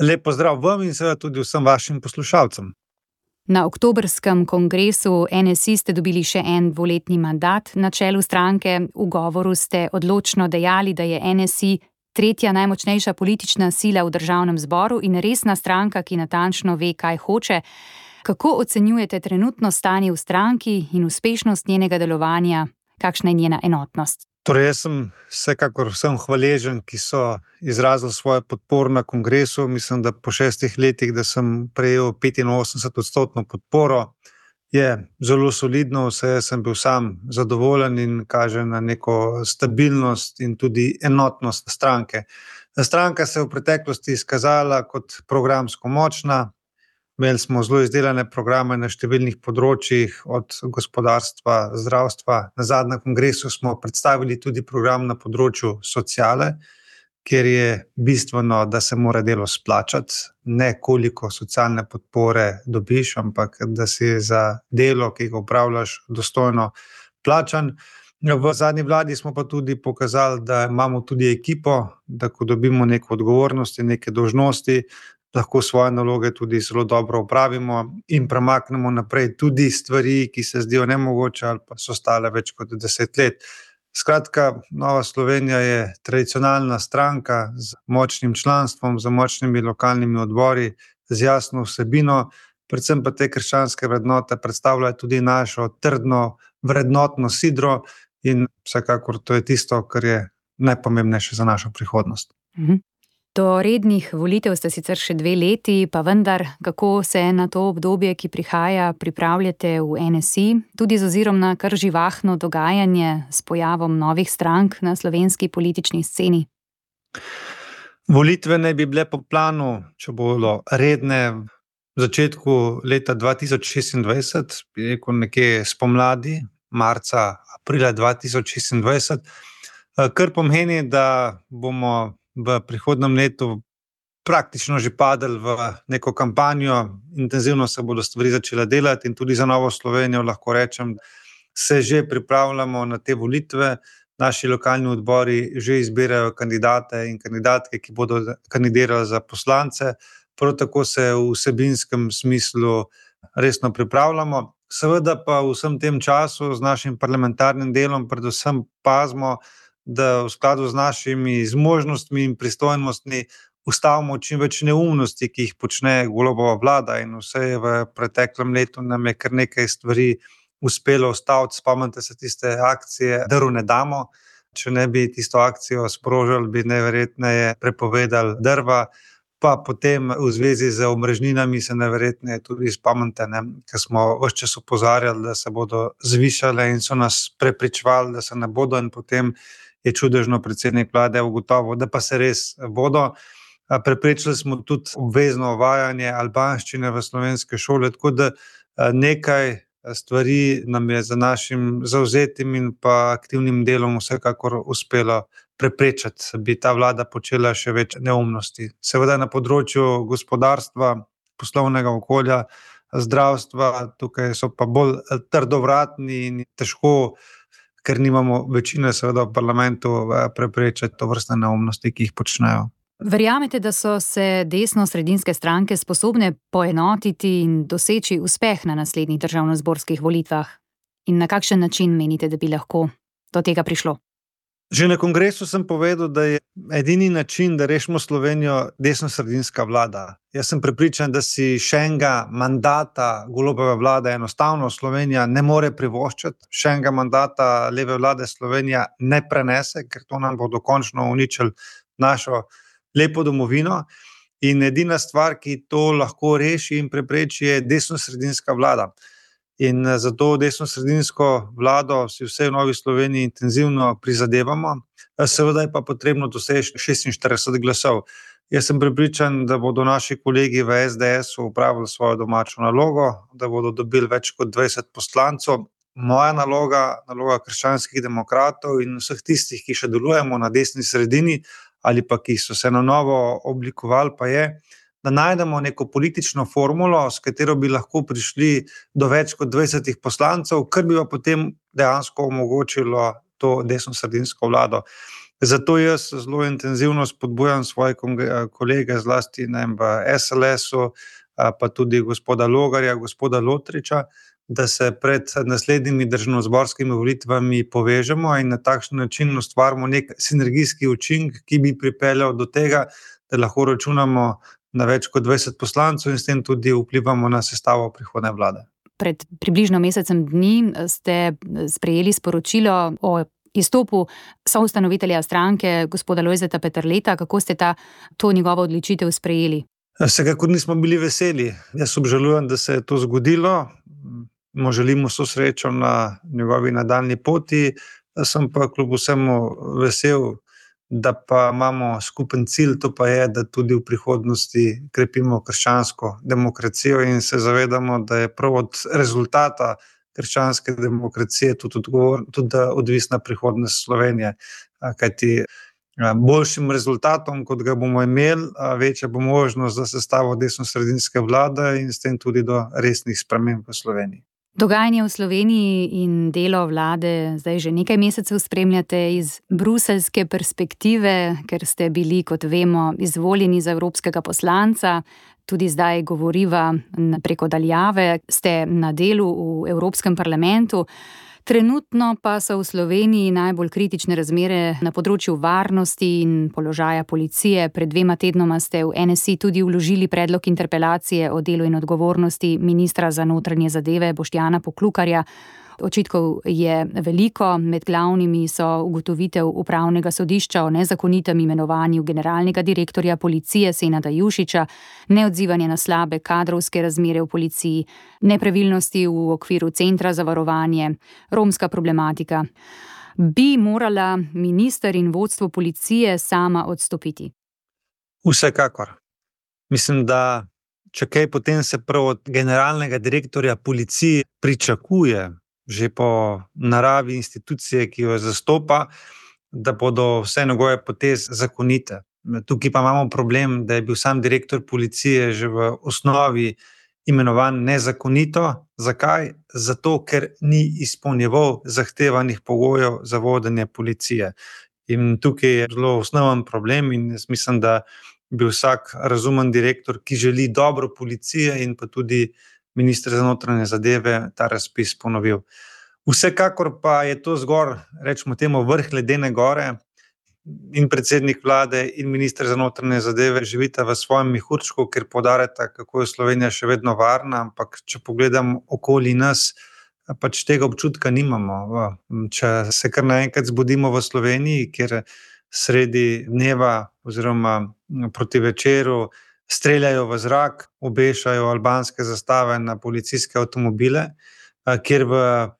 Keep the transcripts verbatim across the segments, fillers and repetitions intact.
Lep pozdrav vam in seveda tudi vsem vašim poslušalcem. Na oktobrskem kongresu N S I ste dobili še en dvoletni mandat na čelu stranke. V govoru ste odločno dejali, da je N S I tretja najmočnejša politična sila v državnem zboru in resna stranka, ki natančno ve, kaj hoče. Kako ocenjujete trenutno stanje v stranki in uspešnost njenega delovanja? Kakšna je njena enotnost? Torej, jaz sem vsekakor vsem hvaležen, ki so izrazili svojo podporo na kongresu. Mislim, da po šestih letih, da sem prejel petinosemdeset odstotno podporo, je zelo solidno, vse sem bil sam zadovoljen in kaže na neko stabilnost in tudi enotnost stranke. Stranka se je v preteklosti izkazala kot programsko močna. Imeli smo zelo izdelane programe na številnih področjih, od gospodarstva, zdravstva. Na zadnjem kongresu smo predstavili tudi program na področju sociale, kjer je bistveno, da se mora delo splačati, ne koliko socialne podpore dobiš, ampak da si za delo, ki ga opravljaš, dostojno plačan. V zadnji vladi smo pa tudi pokazali, da imamo tudi ekipo, da ko dobimo neke odgovornosti, neke dolžnosti, lahko svoje naloge tudi zelo dobro opravimo in premaknemo naprej tudi stvari, ki se zdijo nemogoče ali pa so stale več kot deset let. Skratka, Nova Slovenija je tradicionalna stranka z močnim članstvom, z močnimi lokalnimi odbori, z jasno vsebino, predvsem pa te krščanske vrednote predstavljajo tudi našo trdno vrednotno sidro in vsekakor to je tisto, kar je najpomembnejše za našo prihodnost. Mhm. Do rednih volitev ste sicer še dve leti, pa vendar, kako se na to obdobje, ki prihaja, pripravljate v N S I, tudi z ozirom na kar živahno dogajanje s pojavom novih strank na slovenski politični sceni? Volitve naj bi bile po planu, če bodo redne, v začetku leta dva tisoč šestindvajset, bi rekel nekje spomladi, marca, aprila dva tisoč šestindvajset, kar pomeni, da bomo v prihodnjem letu praktično že padli v neko kampanjo, intenzivno se bodo stvari začele delati in tudi za Novo Slovenijo lahko rečem, se že pripravljamo na te volitve. Naši lokalni odbori že izbirajo kandidate in kandidatke, ki bodo kandidirali za poslance, prav tako se v vsebinskem smislu resno pripravljamo. Seveda pa v vsem tem času z našim parlamentarnim delom predvsem pazimo, da v skladu z našimi zmožnostmi in pristojnostmi ustavimo čim več neumnosti, ki jih počne Golobova vlada, in vse je v preteklem letu nam je kar nekaj stvari uspelo ustaviti. Spomnite se tiste akcije Drv ne damo, če ne bi tisto akcijo sprožili, bi najverjetneje prepovedali drva, pa potem v zvezi z omrežninami se najverjetneje tudi spomnite, ne, ker smo ves čas opozarjali, da se bodo zvišale in so nas prepričevali, da se ne bodo, in potem je čudežno predsednik vlade ugotovil, da pa se res bodo. Preprečili smo tudi obvezno uvajanje albanščine v slovenske šole, tako da nekaj stvari nam je za našim zavzetim in pa aktivnim delom vsekakor uspelo preprečiti, bi ta vlada počela še več neumnosti. Seveda na področju gospodarstva, poslovnega okolja, zdravstva, tukaj so pa bolj trdovratni in težko, ker nimamo večine seveda v parlamentu, preprečiti tovrstne neumnosti, ki jih počnejo. Verjamete, da so se desno-sredinske stranke sposobne poenotiti in doseči uspeh na naslednjih državnozborskih volitvah? In na kakšen način menite, da bi lahko do tega prišlo? Že na kongresu sem povedal, da je edini način, da rešimo Slovenijo, desno-sredinska vlada. Jaz sem prepričan, da si še enega mandata Golobove vlade enostavno Slovenija ne more privoščiti, še enega mandata leve vlade Slovenija ne prenese, ker to nam bo dokončno uničili našo lepo domovino. In edina stvar, ki to lahko reši in prepreči, je desno-sredinska vlada. In zato desno-sredinsko vlado si vse v Novi Sloveniji intenzivno prizadevamo. Seveda je pa potrebno doseči šestinštirideset glasov. Jaz sem prepričan, da bodo naši kolegi v S D S-u opravili svojo domačo nalogo, da bodo dobili več kot dvajset poslancev. Moja naloga, naloga krščanskih demokratov in vseh tistih, ki še delujemo na desni sredini ali pa ki so se na novo oblikovali, pa je, da najdemo neko politično formulo, s katero bi lahko prišli do več kot dvajsetih poslancev, kar bi pa potem dejansko omogočilo to desno-sredinsko vlado. Zato jaz zelo intenzivno spodbujam svoje kolege, zlasti ne vem, v es el es-u, pa tudi gospoda Logarja, gospoda Lotriča, da se pred naslednjimi državnozborskimi volitvami povežemo in na takšen način ustvarimo nek sinergijski učinek, ki bi pripeljal do tega, da lahko računamo na več kot dvajset poslancev in s tem tudi vplivamo na sestavo prihodnje vlade. Pred približno mesecem dni ste sprejeli sporočilo o izstopu soustanovitelja stranke, gospoda Lojzeta Peterleta. Kako ste ta, to njegovo odločitev sprejeli? Vsekakor nismo bili veseli. Jaz obžalujem, da se je to zgodilo. Mu želimo vso srečo na njegovi nadaljnji poti. Sem pa kljub vsemu vesel, da pa imamo skupen cilj, to pa je, da tudi v prihodnosti krepimo krščansko demokracijo in se zavedamo, da je prav od rezultata krščanske demokracije tudi, odgovor, tudi odvisna prihodnost Slovenije. Kajti boljšim rezultatom, kot ga bomo imeli, večja bo možnost za sestavo desnosredinske vlade in s tem tudi do resnih sprememb v Sloveniji. Dogajanje v Sloveniji in delo vlade zdaj že nekaj mesecev spremljate iz bruseljske perspektive, ker ste bili, kot vemo, izvoljeni za evropskega poslanca. Tudi zdaj govoriva preko daljave, ste na delu v Evropskem parlamentu. Trenutno pa so v Sloveniji najbolj kritične razmere na področju varnosti in položaja policije. Pred dvema tednoma ste v en es i tudi vložili predlog interpelacije o delu in odgovornosti ministra za notranje zadeve Boštjana Poklukarja. Očitkov je veliko, med glavnimi so ugotovitev upravnega sodišča o nezakonitem imenovanju generalnega direktorja policije Senada Jušića, neodzivanje na slabe kadrovske razmere v policiji, nepravilnosti v okviru centra za varovanje, romska problematika. Bi morala minister in vodstvo policije sama odstopiti? Vsekakor. Mislim, da če kaj, potem se prav od generalnega direktorja policije pričakuje, že po naravi institucije, ki jo zastopa, da bodo vse njegove poteze zakonite. Tukaj pa imamo problem, da je bil sam direktor policije že v osnovi imenovan nezakonito. Zakaj? Zato, ker ni izpolnjeval zahtevanih pogojev za vodenje policije. In tukaj je zelo osnoven problem in jaz mislim, da bi vsak razumen direktor, ki želi dobro policije in pa tudi minister za notranje zadeve, ta razpis ponovil. Vsekakor pa je to zgor, rečemo temu, vrh ledene gore in predsednik vlade in minister za notranje zadeve živita v svojem mehurčku, ker poudarjata, kako je Slovenija še vedno varna, ampak če pogledam okoli nas, pač tega občutka nimamo. Če se kar naenkrat zbudimo v Sloveniji, kjer sredi dneva oziroma proti večeru streljajo v zrak, obešajo albanske zastave na policijske avtomobile, kjer v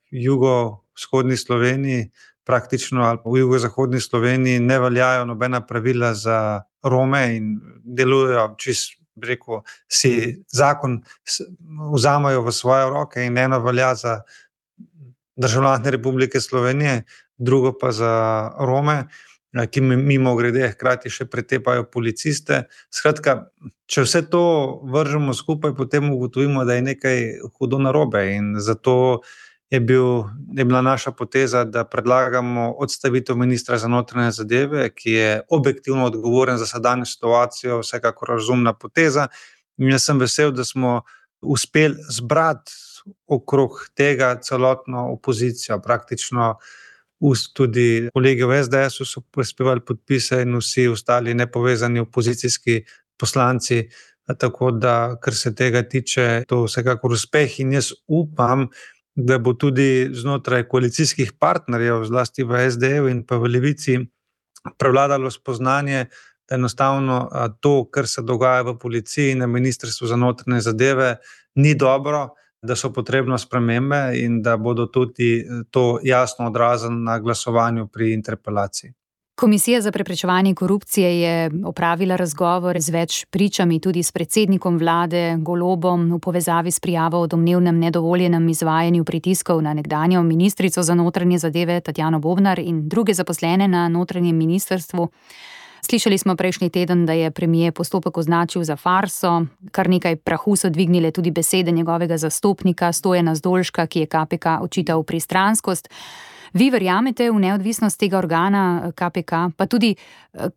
jugovzhodni Sloveniji, praktično ali v jugozahodni Sloveniji ne veljajo nobena pravila za Rome in delujejo čist, bi rekel, si zakon vzamajo v svoje roke in eno velja za državljane Republike Slovenije, drugo pa za Rome, ki mimo grede hkrati še pretepajo policiste. Skratka, če vse to vržemo skupaj, potem ugotovimo, da je nekaj hudo narobe in zato je, bil, je bila naša poteza, da predlagamo odstavitev ministra za notranje zadeve, ki je objektivno odgovoren za sedanjo situacijo, vsekakor razumna poteza. In jaz sem vesel, da smo uspeli zbrati okrog tega celotno opozicijo, praktično tudi kolegi v es de esu so prispevali podpise in vsi ostali nepovezani opozicijski poslanci, tako da, kar se tega tiče, to vsekakor uspeh in jaz upam, da bo tudi znotraj koalicijskih partnerjev, zlasti v es de ju in pa v Levici, prevladalo spoznanje, da enostavno to, kar se dogaja v policiji in na ministrstvu za notranje zadeve, ni dobro, da so potrebne spremembe in da bodo tudi to jasno odrazili na glasovanju pri interpelaciji. Komisija za preprečevanje korupcije je opravila razgovor z več pričami, tudi s predsednikom vlade Golobom v povezavi s prijavo o domnevnem nedovoljenem izvajanju pritiskov na nekdanjo ministrico za notranje zadeve Tatjano Bobnar in druge zaposlene na notranjem ministrstvu. Slišali smo prejšnji teden, da je premier postopek označil za farso, kar nekaj prahu so dvignile tudi besede njegovega zastopnika Stojana Zdolška, ki je ka pe ka očital pristranskost. Vi verjamete v neodvisnost tega organa K P K, pa tudi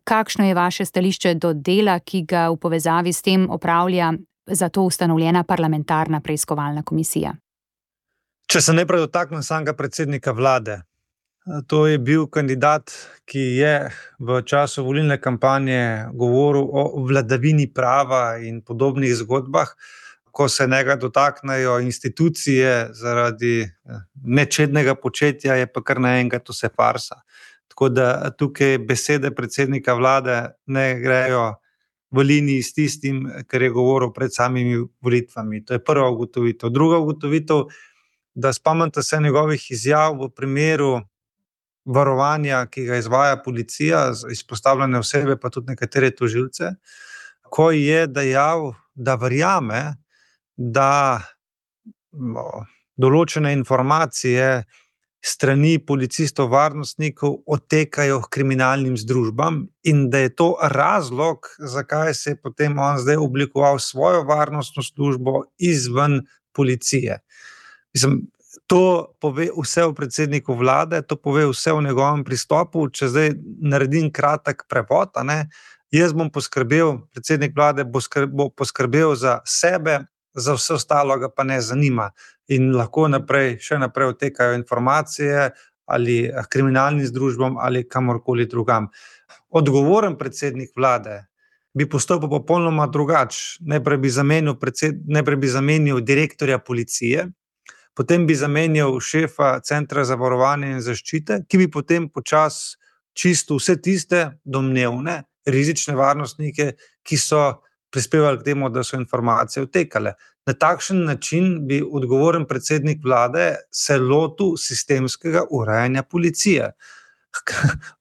kakšno je vaše stališče do dela, ki ga v povezavi s tem opravlja za to ustanovljena parlamentarna preiskovalna komisija? Če se najprej dotaknem samega predsednika vlade. To je bil kandidat, ki je v času volilne kampanje govoril o vladavini prava in podobnih zgodbah. Ko se njega dotaknejo institucije zaradi nečednega početja, je pa kar naenkrat vse farsa. Tako da tukaj besede predsednika vlade ne grejo v liniji s tistim, kar je govoril pred samimi volitvami. To je prva ugotovitev. Druga ugotovitev, da spomnite se njegovih izjav v primeru varovanja, ki ga izvaja policija, izpostavljene osebe, pa tudi nekatere tožilce, ko je dejal, da verjame, da no, določene informacije strani policistov, varnostnikov odtekajo k kriminalnim združbam in da je to razlog, zakaj se je potem on zdaj oblikoval svojo varnostno službo izven policije. Mislim, to pove vse o predsedniku vlade, to pove vse o njegovem pristopu. Če zdaj naredim kratek prevod, a ne, jaz bom poskrbel, predsednik vlade bo, skrb, bo poskrbel za sebe, za vse ostalo ga pa ne zanima. In lahko naprej, še naprej odtekajo informacije ali kriminalnim združbam ali kamorkoli drugam. Odgovoren predsednik vlade bi postopil popolnoma drugače. Najprej bi zamenil, predsed, najprej bi zamenil direktorja policije, potem bi zamenjal šefa Centra za varovanje in zaščite, ki bi potem počasi čistil vse tiste domnevne rizične varnostnike, ki so prispevali k temu, da so informacije odtekale. Na takšen način bi odgovoren predsednik vlade se lotil sistemskega urejanja policije.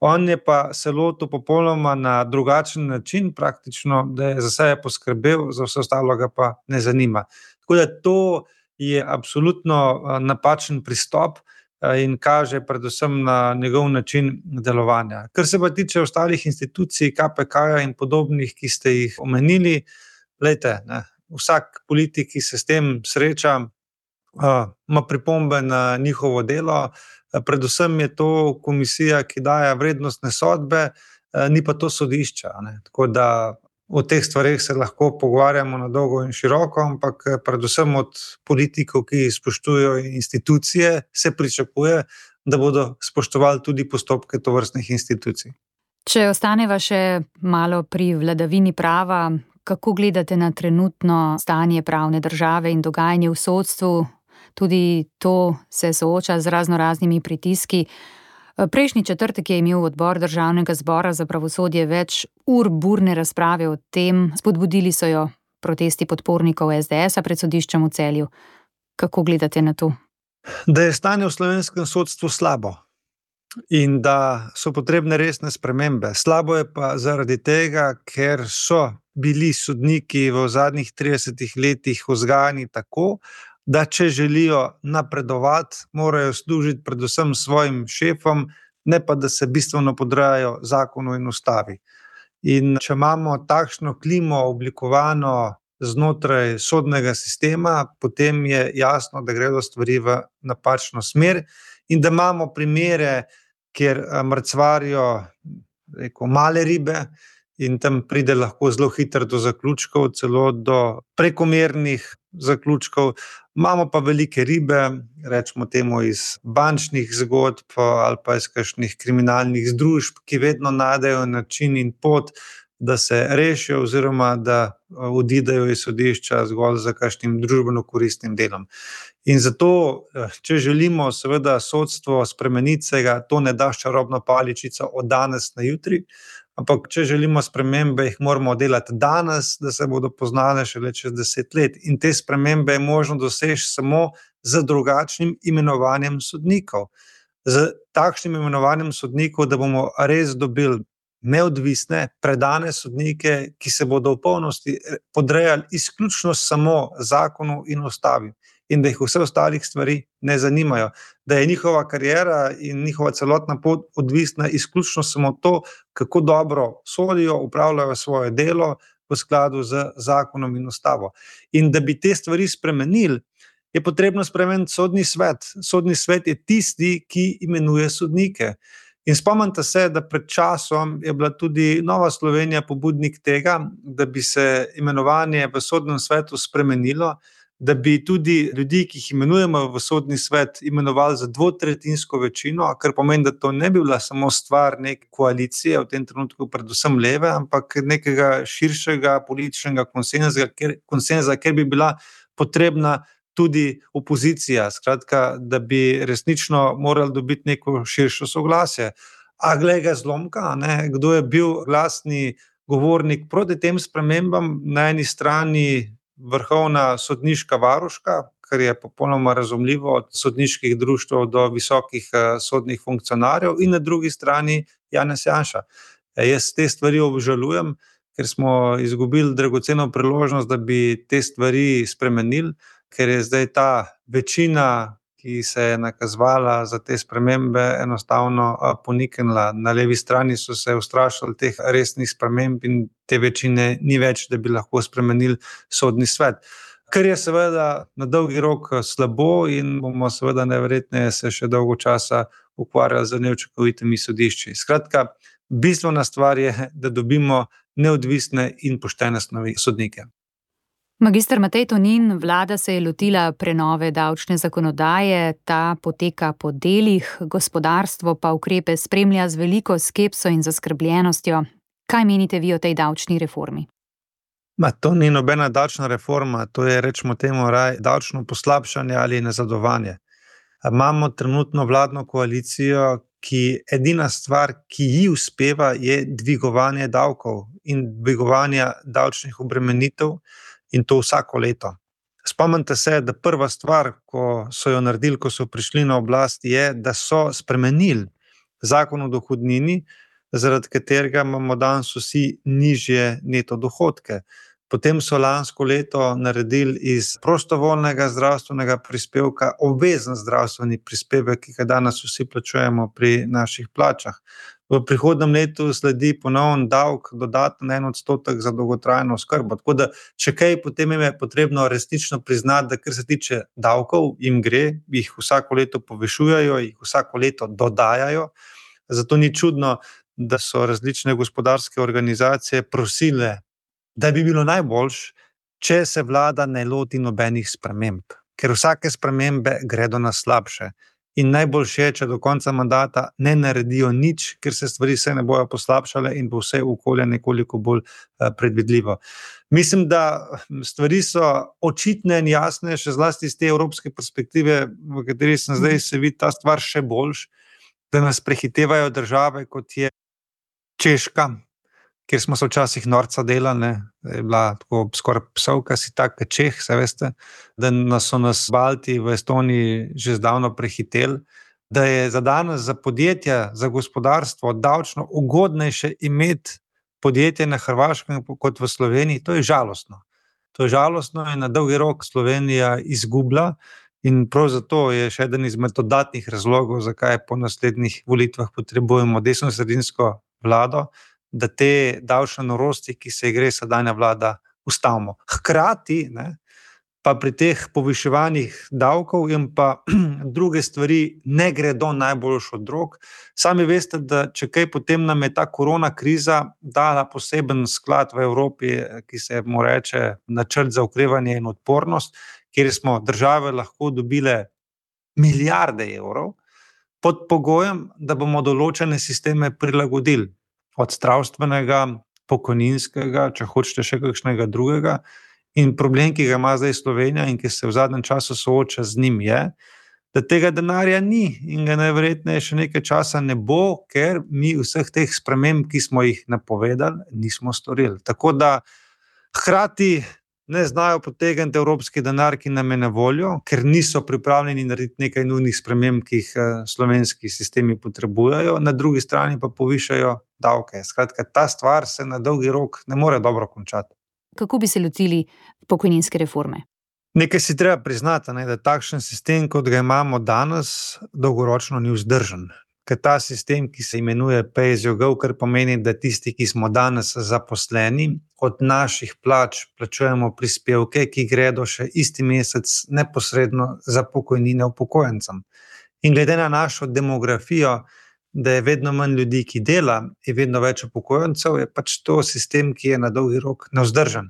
On je pa se lotil popolnoma na drugačen način, praktično, da je za sebe poskrbel, za vse ostalo ga pa ne zanima. Tako da to je absolutno napačen pristop in kaže predvsem na njegov način delovanja. Kar se pa tiče ostalih institucij, K P K-ja in podobnih, ki ste jih omenili, glejte, ne, vsak politik, ki se s tem sreča, ima pripombe na njihovo delo, predvsem je to komisija, ki daje vrednostne sodbe, ni pa to sodišča, ne. Tako da o teh stvareh se lahko pogovarjamo na dolgo in široko, ampak predvsem od politikov, ki spoštujejo institucije, se pričakuje, da bodo spoštovali tudi postopke tovrstnih institucij. Če ostaneva še malo pri vladavini prava, kako gledate na trenutno stanje pravne države in dogajanje v sodstvu? Tudi to se sooča z raznoraznimi pritiski. Prejšnji četrtek je imel odbor Državnega zbora za pravosodje več ur burne razprave o tem, spodbudili so jo protesti podpornikov S D S-a pred sodiščem v Celju. Kako gledate na to? Da je stanje v slovenskem sodstvu slabo in da so potrebne resne spremembe. Slabo je pa zaradi tega, ker so bili sodniki v zadnjih tridesetih letih vzgajani tako, da če želijo napredovati, morajo služiti predvsem svojim šefom, ne pa da se bistveno podrejajo zakonu in ustavi. In če imamo takšno klimo oblikovano znotraj sodnega sistema, potem je jasno, da gredo stvari v napačno smer in da imamo primere, kjer mrcvarijo, rekel, male ribe, in tam pride lahko zelo hitro do zaključkov, celo do prekomernih zaključkov. Imamo pa velike ribe, rečemo temu iz bančnih zgodb ali pa iz kakšnih kriminalnih združb, ki vedno najdejo način in pot, da se rešijo oziroma da odidejo iz sodišča zgolj za kakšnim družbeno koristnim delom. In zato, če želimo seveda sodstvo spremeniti, se ga to ne da s čarobno paličico od danes na jutri, ampak če želimo spremembe, jih moramo delati danes, da se bodo poznale šele čez deset let. In te spremembe je možno doseči samo z drugačnim imenovanjem sodnikov. Z takšnim imenovanjem sodnikov, da bomo res dobili neodvisne, predane sodnike, ki se bodo v polnosti podrejali izključno samo zakonu in ustavi in da jih vse ostalih stvari ne zanimajo, da je njihova kariera in njihova celotna pot odvisna izključno samo to, kako dobro sodijo, upravljajo svoje delo v skladu z zakonom in ustavo. In da bi te stvari spremenili, je potrebno spremeniti sodni svet. Sodni svet je tisti, ki imenuje sodnike. In spomnite se, da pred časom je bila tudi Nova Slovenija pobudnik tega, da bi se imenovanje v sodnem svetu spremenilo, da bi tudi ljudi, ki jih imenujemo v sodni svet, imenovali za dvotretjinsko večino, kar pomeni, da to ne bi bila samo stvar neke koalicije, v tem trenutku predvsem leve, ampak nekega širšega političnega konsenza, kjer, konsenza, kjer bi bila potrebna tudi opozicija, skratka, da bi resnično morali dobiti neko širšo soglasje. A glej ga zlomka, ne? Kdo je bil glasni govornik proti tem spremembam? Na eni strani vrhovna sodniška varuška, kar je popolnoma razumljivo, od sodniških društev do visokih sodnih funkcionarjev, in na drugi strani Janez Janša. Jaz te stvari obžalujem, ker smo izgubili dragoceno priložnost, da bi te stvari spremenili, ker je zdaj ta večina, ki se je nakazovala za te spremembe, enostavno poniknila. Na levi strani so se ustrašili teh resnih sprememb in te večine ni več, da bi lahko spremenili sodni svet. Kar je seveda na dolgi rok slabo in bomo seveda najverjetneje se še dolgo časa ukvarjali z neučinkovitimi sodišči. Skratka, bistvena stvar je, da dobimo neodvisne in poštene sodnike. Magister Matej Tonin, vlada se je lotila prenove davčne zakonodaje, ta poteka po delih, gospodarstvo pa ukrepe spremlja z veliko skepso in zaskrbljenostjo. Kaj menite vi o tej davčni reformi? Ma, to ni nobena davčna reforma, to je, rečemo temu, raj, davčno poslabšanje ali nazadovanje. Imamo trenutno vladno koalicijo, ki edina stvar, ki ji uspeva, je dvigovanje davkov in dvigovanje davčnih obremenitev, in to vsako leto. Spomnite se, da prva stvar, ko so jo naredili, ko so prišli na oblast, je, da so spremenili zakon o dohodnini, zaradi katerega imamo danes vsi nižje neto dohodke. Potem so lansko leto naredili iz prostovoljnega zdravstvenega prispevka obvezen zdravstveni prispevek, ki ga danes vsi plačujemo pri naših plačah. V prihodnem letu sledi ponovno davek, dodaten en odstotek za dolgotrajno oskrbo. Tako da, če kaj, potem je potrebno resnično priznati, da kar se tiče davkov, jim gre, jih vsako leto povišujejo, jih vsako leto dodajajo. Zato ni čudno, da so različne gospodarske organizacije prosile, da bi bilo najboljše, če se vlada ne loti nobenih sprememb, ker vsake spremembe gredo na slabše. In najboljše je, če do konca mandata ne naredijo nič, ker se stvari se ne bojo poslabšale in bo vse okolje nekoliko bolj predvidljivo. Mislim, da stvari so očitne in jasne, še zlasti iz te evropske perspektive, v kateri sem zdaj, se vidi ta stvar še boljš, da nas prehitevajo države, kot je Češka, kjer smo se včasih norca delali, ne, je bila tako skoraj psovka, si tak Čeh, se veste, da nas so nas Balti v Estoniji že zdavno prehiteli, da je za danes za podjetja, za gospodarstvo davčno ugodnejše imeti podjetje na Hrvaškem kot v Sloveniji, to je žalostno. To je žalostno in na dolgi rok Slovenija izgublja in prav zato je še eden izmed dodatnih razlogov, zakaj po naslednjih volitvah potrebujemo desnosredinsko vlado, da te davčne norosti, ki se gre sedanja vlada, ustavimo. Hkrati, ne, pa pri teh poviševanjih davkov in pa druge stvari ne gredo najboljš od rok. Sami veste, da če kaj, potem nam je ta korona kriza dala poseben sklad v Evropi, ki se mu reče načrt za okrevanje in odpornost, kjer smo države lahko dobile milijarde evrov pod pogojem, da bomo določene sisteme prilagodili. Od zdravstvenega, pokojninskega, če hočete še kakšnega drugega. In problem, ki ga ima zdaj Slovenija in ki se v zadnjem času sooča z njim, je, da tega denarja ni in ga najverjetneje še nekaj časa ne bo, ker mi vseh teh sprememb, ki smo jih napovedali, nismo storili. Tako da hkrati ne znajo potegniti evropski denar, ki nam je na voljo, ker niso pripravljeni narediti nekaj nujnih sprememb, ki jih slovenski sistemi potrebujejo, na drugi strani pa povišajo davke. Skratka, ta stvar se na dolgi rok ne more dobro končati. Kako bi se lotili pokojninske reforme? Nekaj si treba priznati, ne, da takšen sistem, kot ga imamo danes, dolgoročno ni vzdržen. ker ta sistem, ki se imenuje pay as you go, kar pomeni, da tisti, ki smo danes zaposleni, od naših plač plačujemo prispevke, ki gredo še isti mesec neposredno za pokojnine upokojencem. In glede na našo demografijo, da je vedno manj ljudi, ki dela, je vedno več upokojencev, je pač to sistem, ki je na dolgi rok nevzdržen.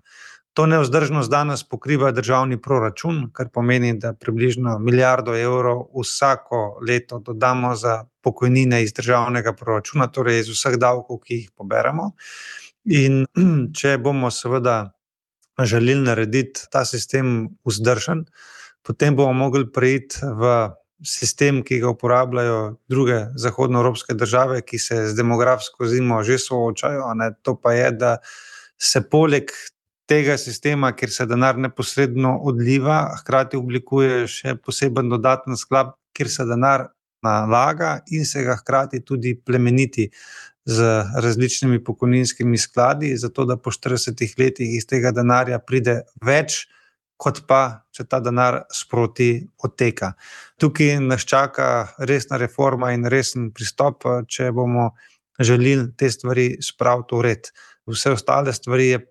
To nevzdržnost danes pokriva državni proračun, kar pomeni, da približno milijardo evrov vsako leto dodamo za pokojnine iz državnega proračuna, torej iz vseh davkov, ki jih poberemo. In če bomo seveda želeli narediti ta sistem vzdržen, potem bomo mogli preiti v sistem, ki ga uporabljajo druge zahodnoevropske države, ki se z demografsko zimo že soočajo, ne? To pa je, da se poleg tega sistema, kjer se denar neposredno odliva, hkrati oblikuje še poseben dodaten sklad, kjer se denar nalaga in se ga hkrati tudi plemeniti z različnimi pokojninskimi skladi, zato da po štiridesetih letih iz tega denarja pride več, kot pa, če ta denar sproti odteka. Tukaj nas čaka resna reforma in resen pristop, če bomo želeli te stvari spraviti v red. Vse ostale stvari je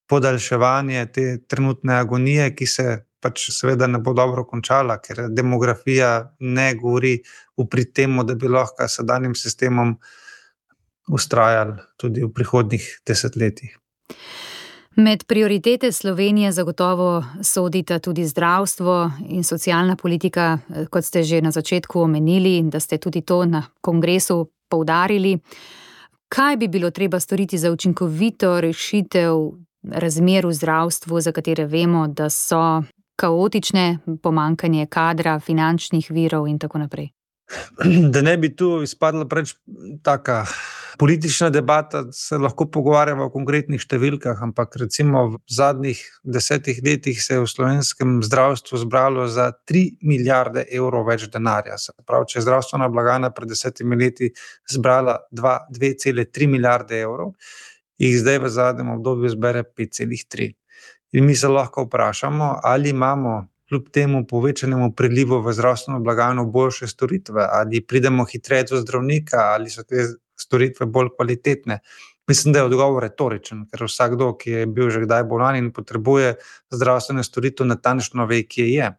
podaljševanje te trenutne agonije, ki se pač seveda ne bo dobro končala, ker demografija ne govori v prid temu, da bi lahko sedanjim sistemom vztrajali tudi v prihodnjih desetletjih. Med prioritete Slovenije zagotovo sodita tudi zdravstvo in socialna politika, kot ste že na začetku omenili, da ste tudi to na kongresu poudarili. Kaj bi bilo treba storiti za učinkovito rešitev razmer v zdravstvu, za katere vemo, da so kaotične, pomanjkanje kadra, finančnih virov in tako naprej? Da ne bi tu izpadla preveč taka politična debata, se lahko pogovarjamo o konkretnih številkah, ampak recimo v zadnjih desetih letih se je v slovenskem zdravstvu zbralo za tri milijarde evrov več denarja. Se pravi, če je zdravstvena blagajna pred desetimi leti zbrala dve cele tri milijarde evrov, jih zdaj v zadnjem obdobju zbere pet celih tri. In mi se lahko vprašamo, ali imamo kljub temu povečanemu prilivu v zdravstveno blagajno boljše storitve, ali pridemo hitreje do zdravnika, ali so te storitve bolj kvalitetne. Mislim, da je odgovor retoričen, ker vsakdo, ki je bil že kdaj bolan in potrebuje zdravstvene storitve, natančno ve, kje je.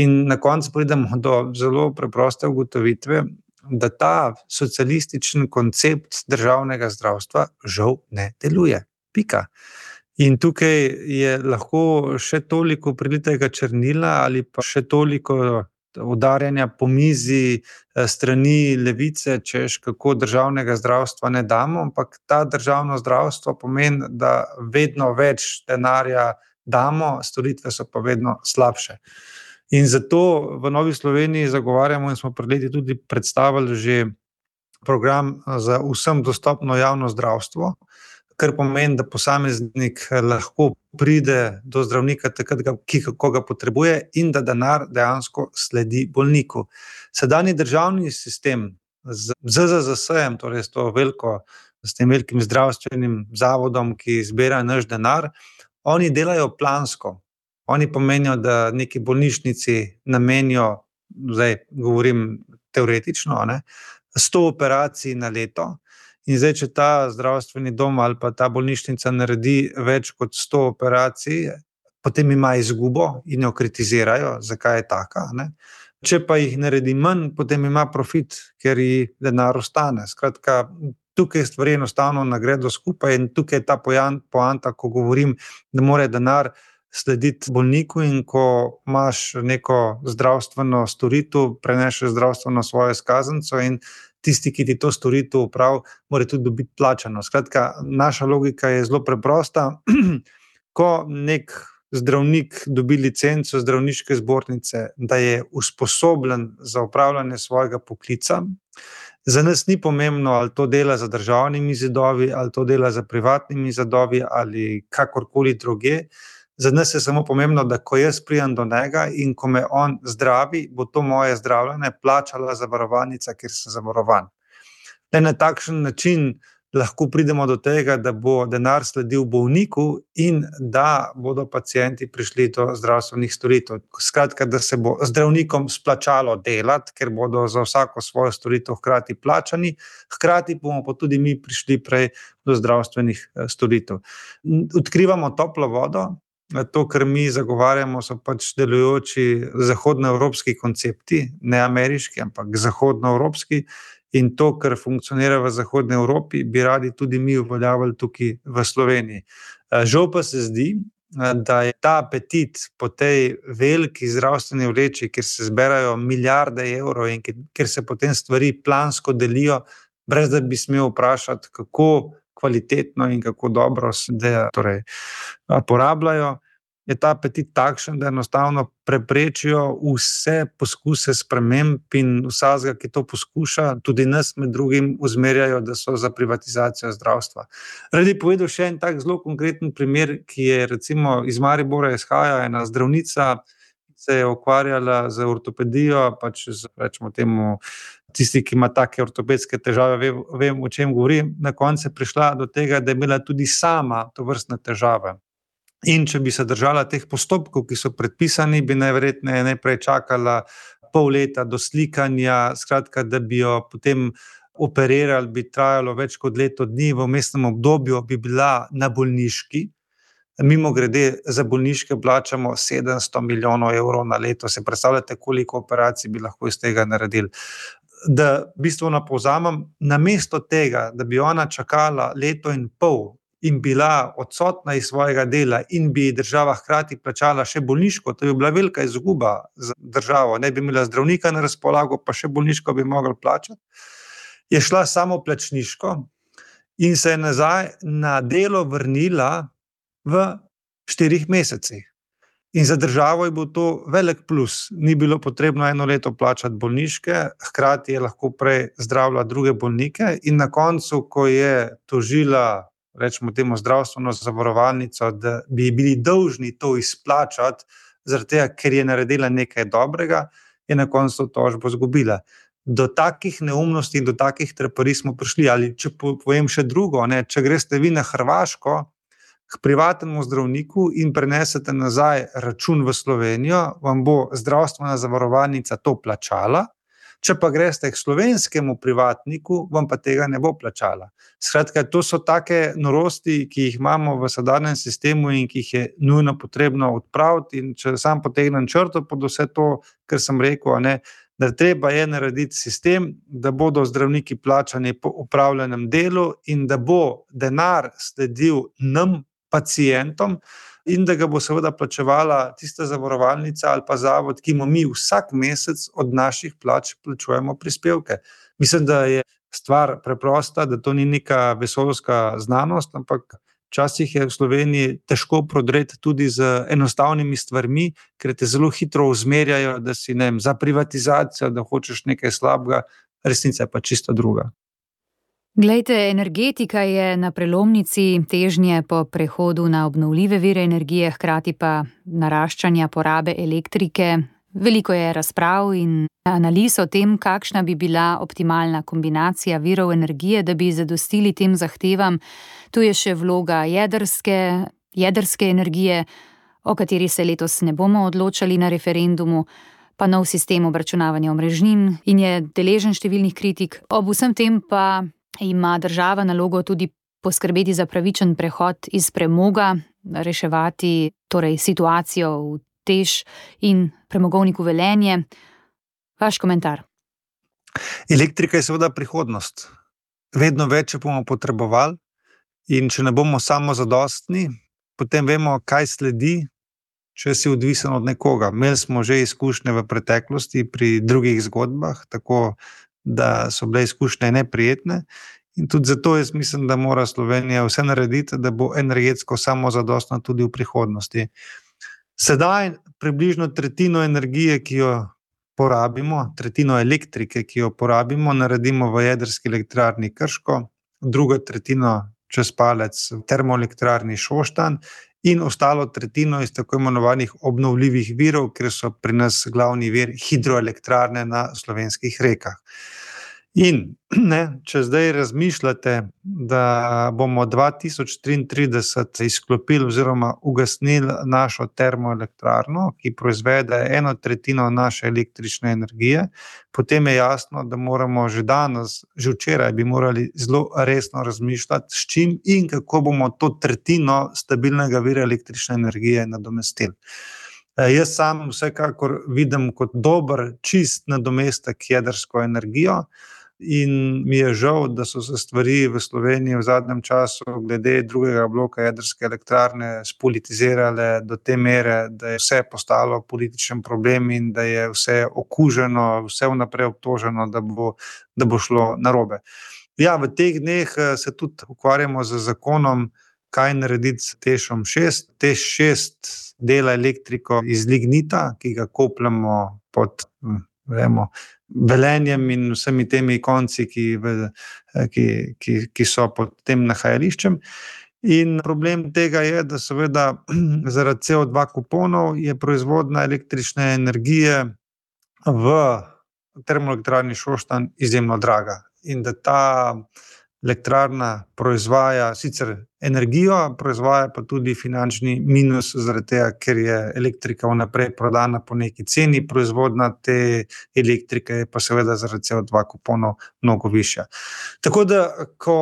In na koncu pridemo do zelo preproste ugotovitve, da ta socialističen koncept državnega zdravstva žal ne deluje. Pika. In tukaj je lahko še toliko prilitega črnila ali pa še toliko udarjanja po mizi strani levice, češ kako državnega zdravstva ne damo, ampak ta državno zdravstvo pomeni, da vedno več denarja damo, storitve so pa vedno slabše. In zato v Novi Sloveniji zagovarjamo in smo pred leti tudi predstavili že program za vsem dostopno javno zdravstvo, kar pomeni, da posameznik lahko pride do zdravnika takrat, ko ga potrebuje in da denar dejansko sledi bolniku. Sedanji državni sistem z Z Z Z S-jem, torej s to veliko, s tem velikim zdravstvenim zavodom, ki zbira naš denar, oni delajo plansko. Oni pomenijo, da neki bolnišnici namenijo, zdaj govorim teoretično, ne, sto operacij na leto. In zdaj, če ta zdravstveni dom ali pa ta bolnišnica naredi več kot sto operacij, potem ima izgubo in jo kritizirajo, zakaj je taka, ne. Če pa jih naredi manj, potem ima profit, ker ji denar ostane. Skratka, tukaj stvari enostavno ne gredo skupaj in tukaj je ta poanta, ko govorim, da mora denar slediti bolniku in ko imaš neko zdravstveno storitev, prenešeš zdravstveno svojo izkaznico in tisti, ki ti to storitev opravi, mora tudi dobiti plačano. Skratka, naša logika je zelo preprosta. Ko nek zdravnik dobi licenco zdravniške zbornice, da je usposobljen za opravljanje svojega poklica, za nas ni pomembno, ali to dela za državnimi zidovi, ali to dela za privatnimi zidovi, ali kakorkoli druge. Za nas je samo pomembno, da ko jaz pridem do njega in ko me on zdravi, bo to moje zdravljenje plačala zavarovalnica, kjer sem zavarovan. Le na takšen način lahko pridemo do tega, da bo denar sledil bolniku in da bodo pacienti prišli do zdravstvenih storitev. Skratka, da se bo zdravnikom splačalo delati, ker bodo za vsako svojo storitev hkrati plačani, hkrati bomo pa tudi mi prišli prej do zdravstvenih storitev. Odkrivamo toplo vodo. To, kar mi zagovarjamo, so pač delujoči zahodnoevropski koncepti, ne ameriški, ampak zahodnoevropski, in to, kar funkcionira v Zahodni Evropi, bi radi tudi mi uveljavili tukaj v Sloveniji. Žal pa se zdi, da je ta apetit po tej veliki zdravstveni vleči, kjer se zberajo milijarde evrov in kjer se potem stvari plansko delijo, brez da bi smel vprašati, kako kvalitetno in kako dobro se da torej porabljajo, je ta apetit takšen, da enostavno preprečijo vse poskuse sprememb in vsakega, ki to poskuša, tudi nas med drugim usmerjajo, da so za privatizacijo zdravstva. Rad bi povedal še en tak zelo konkreten primer, ki je recimo iz Maribora izhaja, ena zdravnica se je ukvarjala z ortopedijo, pač z, rečemo temu, tisti, ki ima take ortopedske težave, vem, vem, o čem govorim, na koncu je prišla do tega, da je imela tudi sama tovrstne težave. In če bi se držala teh postopkov, ki so predpisani, bi najverjetneje najprej čakala pol leta do slikanja, skratka, da bi jo potem operirali, bi trajalo več kot leto dni, v vmesnem obdobju bi bila na bolniški. Mimogrede, za bolniške plačamo sedemsto milijonov evrov na leto. Se predstavljate, koliko operacij bi lahko iz tega naredili. Da bistveno povzamem, namesto tega, da bi ona čakala leto in pol in bila odsotna iz svojega dela in bi država hkrati plačala še bolniško, to bi bila velika izguba za državo, ne bi imela zdravnika na razpolago, pa še bolniško bi mogli plačati, je šla samo plačniško in se je nazaj na delo vrnila v štirih mesecih. In za državo je bil to velik plus. Ni bilo potrebno eno leto plačati bolniške, hkrati je lahko prej zdravila druge bolnike in na koncu, ko je tožila, rečemo temu zdravstveno zavarovalnico, da bi bili dolžni to izplačati, zaradi tega, ker je naredila nekaj dobrega, je na koncu tožbo izgubila. Do takih neumnosti in do takih treparij smo prišli. Ali če povem še drugo, ne, če greste vi na Hrvaško k privatnemu zdravniku in prenesete nazaj račun v Slovenijo, vam bo zdravstvena zavarovalnica to plačala, če pa greste k slovenskemu privatniku, vam pa tega ne bo plačala. Skratka, to so take norosti, ki jih imamo v sedanjem sistemu in ki jih je nujno potrebno odpraviti, in če sam potegnem črto pod vse to, kar sem rekel, ne, da treba je narediti sistem, da bodo zdravniki plačani po opravljenem delu in da bo denar sledil nam, pacientom, in da ga bo seveda plačevala tista zavarovalnica ali pa zavod, ki mu mi vsak mesec od naših plač plačujemo prispevke. Mislim, da je stvar preprosta, da to ni neka vesoljska znanost, ampak včasih je v Sloveniji težko prodreti tudi z enostavnimi stvarmi, ker te zelo hitro usmerjajo, da si, ne vem, za privatizacijo, da hočeš nekaj slabega, resnica je pa čisto druga. Glejte, energetika je na prelomnici težnje po prehodu na obnovljive vire energije, hkrati pa naraščanja porabe elektrike. Veliko je razprav in analiz o tem, kakšna bi bila optimalna kombinacija virov energije, da bi zadostili tem zahtevam. Tu je še vloga jedrske, jedrske energije, o kateri se letos ne bomo odločali na referendumu, pa nov sistem obračunavanja omrežnin in je deležen številnih kritik. Ob vsem tem pa ima država nalogo tudi poskrbeti za pravičen prehod iz premoga, reševati torej situacijo v Teš in premogovniku Velenje. Vaš komentar? Elektrika je seveda prihodnost. Vedno več bomo potrebovali in če ne bomo samozadostni, potem vemo, kaj sledi, če si odvisen od nekoga. Imeli smo že izkušnje v preteklosti pri drugih zgodbah, tako da so bile izkušnje neprijetne in tudi zato jaz mislim, da mora Slovenija vse narediti, da bo energetsko samozadostna tudi v prihodnosti. Sedaj približno tretjino energije, ki jo porabimo, tretjino elektrike, ki jo porabimo, naredimo v jedrski elektrarni Krško, drugo tretjino čez palec v termoelektrarni Šoštanj in ostalo tretjino iz tako imenovanih obnovljivih virov, ker so pri nas glavni vir hidroelektrarne na slovenskih rekah. In ne, če zdaj razmišljate, da bomo dva tisoč triintrideset izklopili oziroma ugasnili našo termoelektrarno, ki proizvede eno tretjino naše električne energije, potem je jasno, da moramo že danes, že včeraj bi morali zelo resno razmišljati, s čim in kako bomo to tretjino stabilnega vira električne energije nadomestili. Jaz sam vsekakor vidim kot dober, čist nadomestek jedrsko energijo in mi je žal, da so se stvari v Sloveniji v zadnjem času glede drugega bloka jedrske elektrarne spolitizirale do te mere, da je vse postalo političen problem in da je vse okuženo, vse vnaprej obtoženo, da bo, da bo šlo narobe. Ja, v teh dneh se tudi ukvarjamo z zakonom, kaj narediti s TEŠom šest. TEŠ šest dela elektriko iz lignita, ki ga kopljamo pod vemo, Velenjem in vsemi temi konci, ki, ki, ki, ki so pod tem nahajališčem. In problem tega je, da seveda zaradi C O dva kuponov je proizvodnja električne energije v termoelektrarni Šoštanj izjemno draga. In da ta elektrarna proizvaja sicer energijo, proizvaja pa tudi finančni minus zaradi tega, ker je elektrika vnaprej prodana po neki ceni, proizvodnja te elektrike je pa seveda zaradi C O dva kuponov mnogo višja. Tako da, ko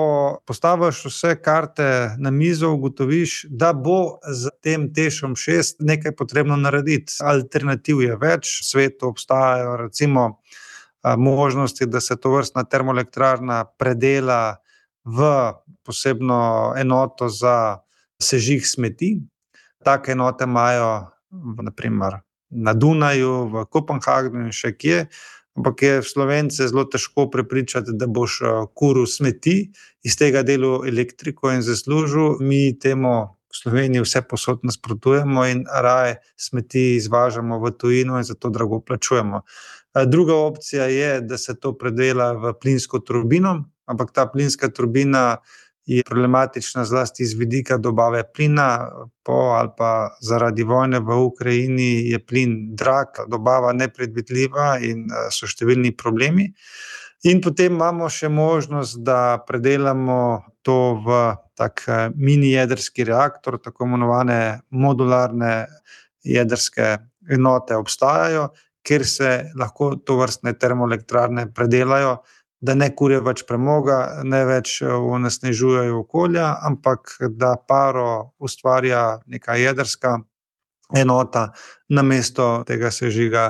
postaviš vse karte na mizo, ugotoviš, da bo z tem TEŠom šest nekaj potrebno narediti. Alternativ je več, v svetu obstajajo recimo možnosti, da se tovrstna termoelektrarna predela v posebno enoto za sežig smeti. Take enote imajo na primer na Dunaju, v Kopenhagnu in še kje, ampak je Slovence zelo težko prepričati, da boš kuril smeti, iz tega delu elektriko in zaslužil. Mi temu v Sloveniji vse posod nasprotujemo in raje smeti izvažamo v tujino in zato drago plačujemo. Druga opcija je, da se to predela v plinsko turbino, ampak ta plinska turbina je problematična zlasti iz vidika dobave plina, po ali pa zaradi vojne v Ukrajini je plin drag, dobava nepredvidljiva in so številni problemi. In potem imamo še možnost, da predelamo to v tak mini jedrski reaktor, tako imenovane modularne jedrske enote obstajajo, kjer se lahko tovrstne termoelektrarne predelajo, da ne kurijo več premoga, ne več onesnažujejo okolja, ampak da paro ustvarja neka jedrska enota namesto tega sežiga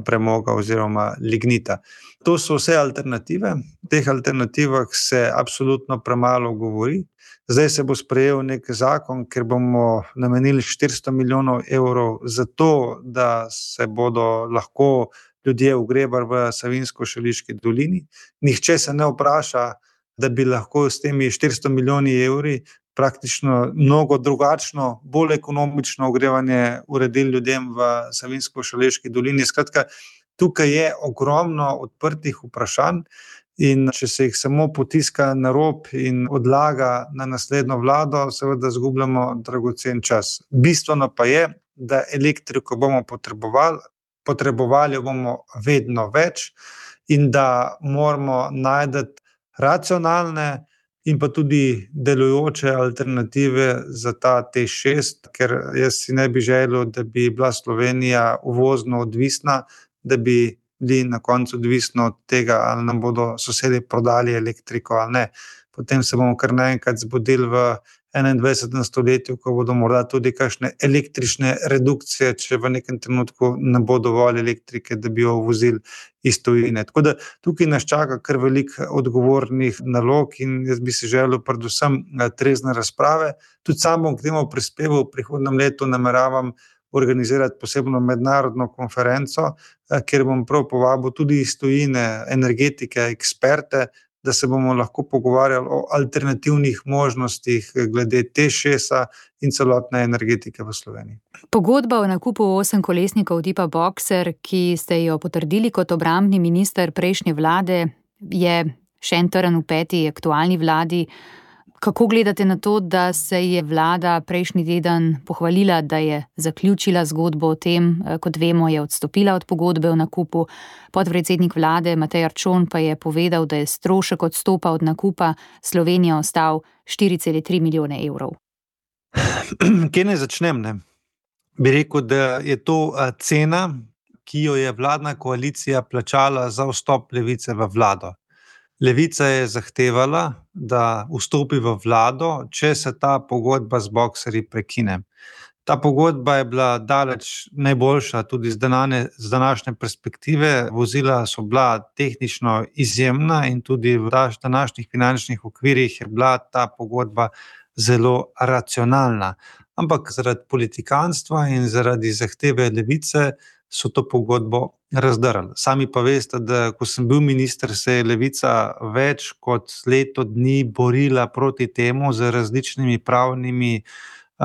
premoga oziroma lignita. To so vse alternative. V teh alternativah se absolutno premalo govori. Zdaj se bo sprejel nek zakon, ker bomo namenili štiristo milijonov evrov za to, da se bodo lahko ljudje ugrebali v Savinjsko-Šaleški dolini. Nihče se ne vpraša, da bi lahko s temi štiristo milijoni evri praktično mnogo drugačno, bolj ekonomično ogrevanje uredili ljudem v Savinjsko-Šaleški dolini. Skratka, tukaj je ogromno odprtih vprašanj in če se jih samo potiska na rob in odlaga na naslednjo vlado, seveda izgubljamo dragocen čas. Bistveno pa je, da elektriko bomo potrebovali, potrebovali bomo vedno več in da moramo najti racionalne in pa tudi delujoče alternative za ta TEŠ šest, ker jaz si ne bi želel, da bi bila Slovenija uvozno odvisna, da bi bili na koncu odvisni od tega, ali nam bodo sosedi prodali elektriko ali ne. Potem se bomo kar naenkrat zbudili v enaindvajsetem stoletju, ko bodo morda tudi kakšne električne redukcije, če v nekem trenutku ne bo dovolj elektrike, da bi jo uvozili iz tujine. Tako da tukaj nas čaka kar veliko odgovornih nalog in jaz bi si želel predvsem trezne razprave. Tudi sam bom k temu prispeval, v prihodnjem letu nameravam organizirati posebno mednarodno konferenco, kjer bom prav povabil tudi iz tujine energetike, eksperte, da se bomo lahko pogovarjali o alternativnih možnostih glede TEŠ šest in celotne energetike v Sloveniji. Pogodba o nakupu osemkolesnikov tipa Boxer, ki ste jo potrdili kot obrambni minister prejšnje vlade, je še en trn v peti aktualni vladi. Kako gledate na to, da se je vlada prejšnji teden pohvalila, da je zaključila zgodbo o tem, kot vemo, je odstopila od pogodbe o nakupu. Podpredsednik vlade Matej Arčon pa je povedal, da je strošek odstopa od nakupa Slovenije ostal štiri cele tri milijone evrov. Kje naj začnem, ne? Bi rekel, da je to cena, ki jo je vladna koalicija plačala za vstop Levice v vlado. Levica je zahtevala, da vstopi v vlado, če se ta pogodba z Boxerji prekine. Ta pogodba je bila daleč najboljša, tudi z, danane, z današnje perspektive. Vozila so bila tehnično izjemna in tudi v današnjih finančnih okvirih je bila ta pogodba zelo racionalna. Ampak zaradi politikanstva in zaradi zahteve Levice so to pogodbo razdrli. Sami pa veste, da ko sem bil minister, se je Levica več kot leto dni borila proti temu z različnimi pravnimi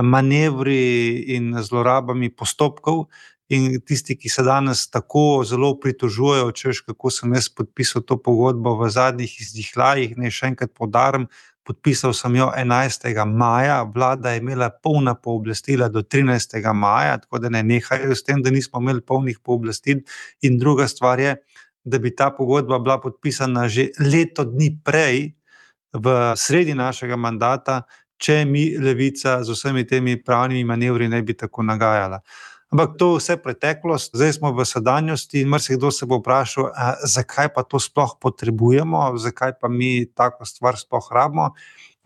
manevri in zlorabami postopkov. In tisti, ki se danes tako zelo pritožujejo, češ kako sem jaz podpisal to pogodbo v zadnjih izdihljajih, naj še enkrat poudarim, podpisal sem jo enajstega maja, vlada je imela polna pooblastila do trinajstega maja, tako da ne nehajo s tem, da nismo imeli polnih pooblastil. In druga stvar je, da bi ta pogodba bila podpisana že leto dni prej, v sredi našega mandata, če mi Levica z vsemi temi pravnimi manevri ne bi tako nagajala. Ampak to vse preteklost, zdaj smo v sedanjosti in marsikdo se bo vprašal, a, zakaj pa to sploh potrebujemo, zakaj pa mi tako stvar sploh rabimo.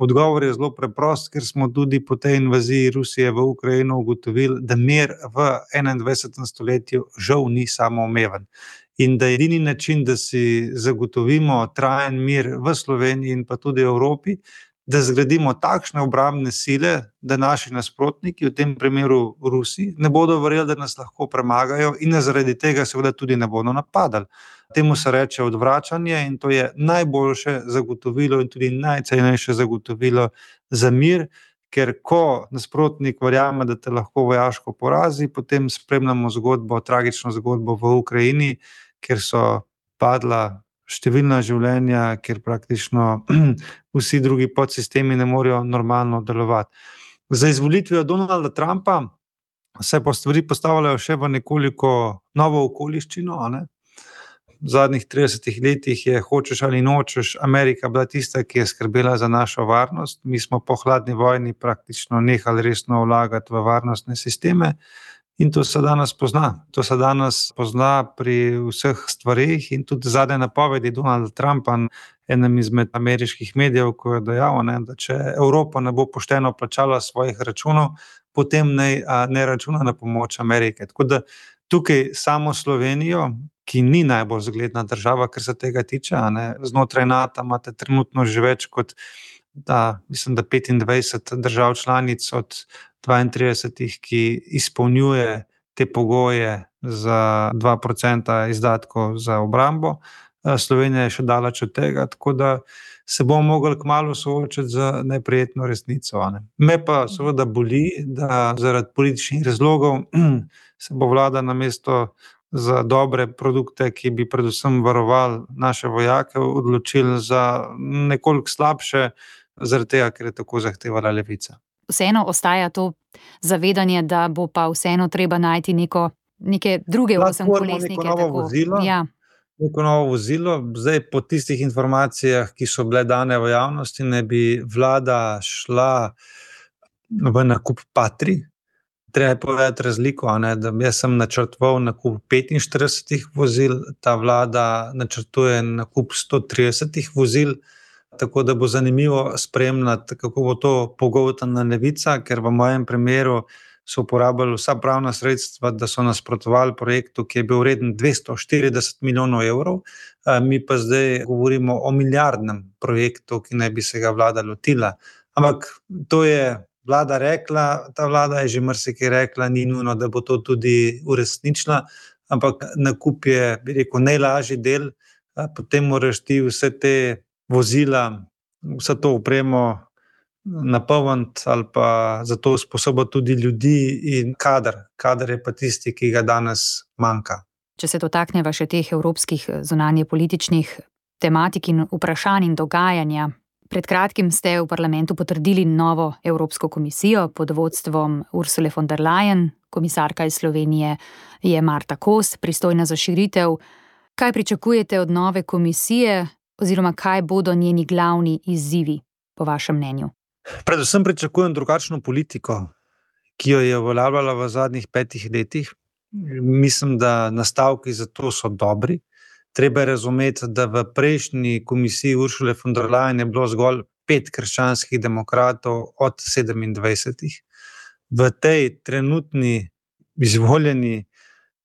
Odgovor je zelo preprost, ker smo tudi po tej invaziji Rusije v Ukrajino ugotovili, da mir v enaindvajsetem stoletju žal ni samoumeven. In da je edini način, da si zagotovimo trajen mir v Sloveniji in pa tudi v Evropi, da zgradimo takšne obrambne sile, da naši nasprotniki, v tem primeru Rusi, ne bodo verjeli, da nas lahko premagajo in zaradi tega seveda tudi ne bodo napadali. Temu se reče odvračanje in to je najboljše zagotovilo in tudi najcenejše zagotovilo za mir, ker ko nasprotnik verjame, da te lahko vojaško porazi, potem spremljamo zgodbo, tragično zgodbo v Ukrajini, kjer so padla številna življenja, kjer praktično vsi drugi podsistemi ne morejo normalno delovati. Za izvolitvijo Donalda Trumpa se pa stvari postavljajo še v nekoliko novo okoliščino. Ne? V zadnjih tridesetih letih je, hočeš ali nočeš, Amerika bila tista, ki je skrbela za našo varnost. Mi smo po hladni vojni praktično nehali resno vlagati v varnostne sisteme. In to se danes pozna. To se danes pozna pri vseh stvarih in tudi zadnje napovedi Donalda Trumpa, enem izmed ameriških medijev, ko je dejal, ne, da če Evropa ne bo pošteno plačala svojih računov, potem ne, ne računa na pomoč Amerike. Tako da tukaj samo Slovenijo, ki ni najbolj zgledna država, kar se tega tiče, ne, znotraj NATO imate trenutno že več kot da, mislim, da petindvajset držav članic od dvaintridesetih, ki izpolnjuje te pogoje za dva procenta izdatkov za obrambo. Slovenija je še daleč od tega, tako da se bomo mogli kmalu soočiti z neprijetno resnico. Ne. Me pa seveda boli, da zaradi političnih razlogov se bo vlada namesto za dobre produkte, ki bi predvsem varovali naše vojake, odločili za nekoliko slabše, zaradi tega, ker je tako zahtevala Levica. Vseeno ostaja to zavedanje, da bo pa vseeno treba najti neko, neke druge osemkolesnike. Neko novo vozilo, ja. neko novo vozilo. Zdaj po tistih informacijah, ki so bile dane v javnosti, ne bi vlada šla v nakup Patri. Treba je povedati razliko, ne, da jaz sem načrtoval nakup petinštiridesetih vozil, ta vlada načrtuje nakup sto tridesetih vozil, tako da bo zanimivo spremljati, kako bo to pogoltnila Levica, ker v mojem primeru so uporabljali vsa pravna sredstva, da so nasprotovali projektu, ki je bil vreden dvesto štirideset milijonov evrov, mi pa zdaj govorimo o milijardnem projektu, ki naj bi se ga vlada lotila. Ampak to je vlada rekla, ta vlada je že marsikaj rekla, ni nujno, da bo to tudi uresničila, ampak nakup je, bi rekel, najlažji del, potem moraš ti vse te vozila, vse to opremo napolniti ali pa za to usposobiti tudi ljudi in kader. Kader je pa tisti, ki ga danes manjka. Če se dotakneva še teh evropskih zunanje političnih tematik in vprašanj in dogajanja, Pred kratkim ste v parlamentu potrdili novo Evropsko komisijo pod vodstvom Ursule von der Leyen. Komisarka iz Slovenije je Marta Kos, pristojna za širitev. Kaj pričakujete od nove komisije oziroma kaj bodo njeni glavni izzivi, po vašem mnenju? Predvsem pričakujem drugačno politiko, ki jo je uveljavljala v zadnjih petih letih. Mislim, da nastavki za to so dobri. Treba je razumeti, da v prejšnji komisiji Ursule von der Leyen je bilo zgolj pet krščanskih demokratov od sedemindvajsetih. V tej trenutni izvoljeni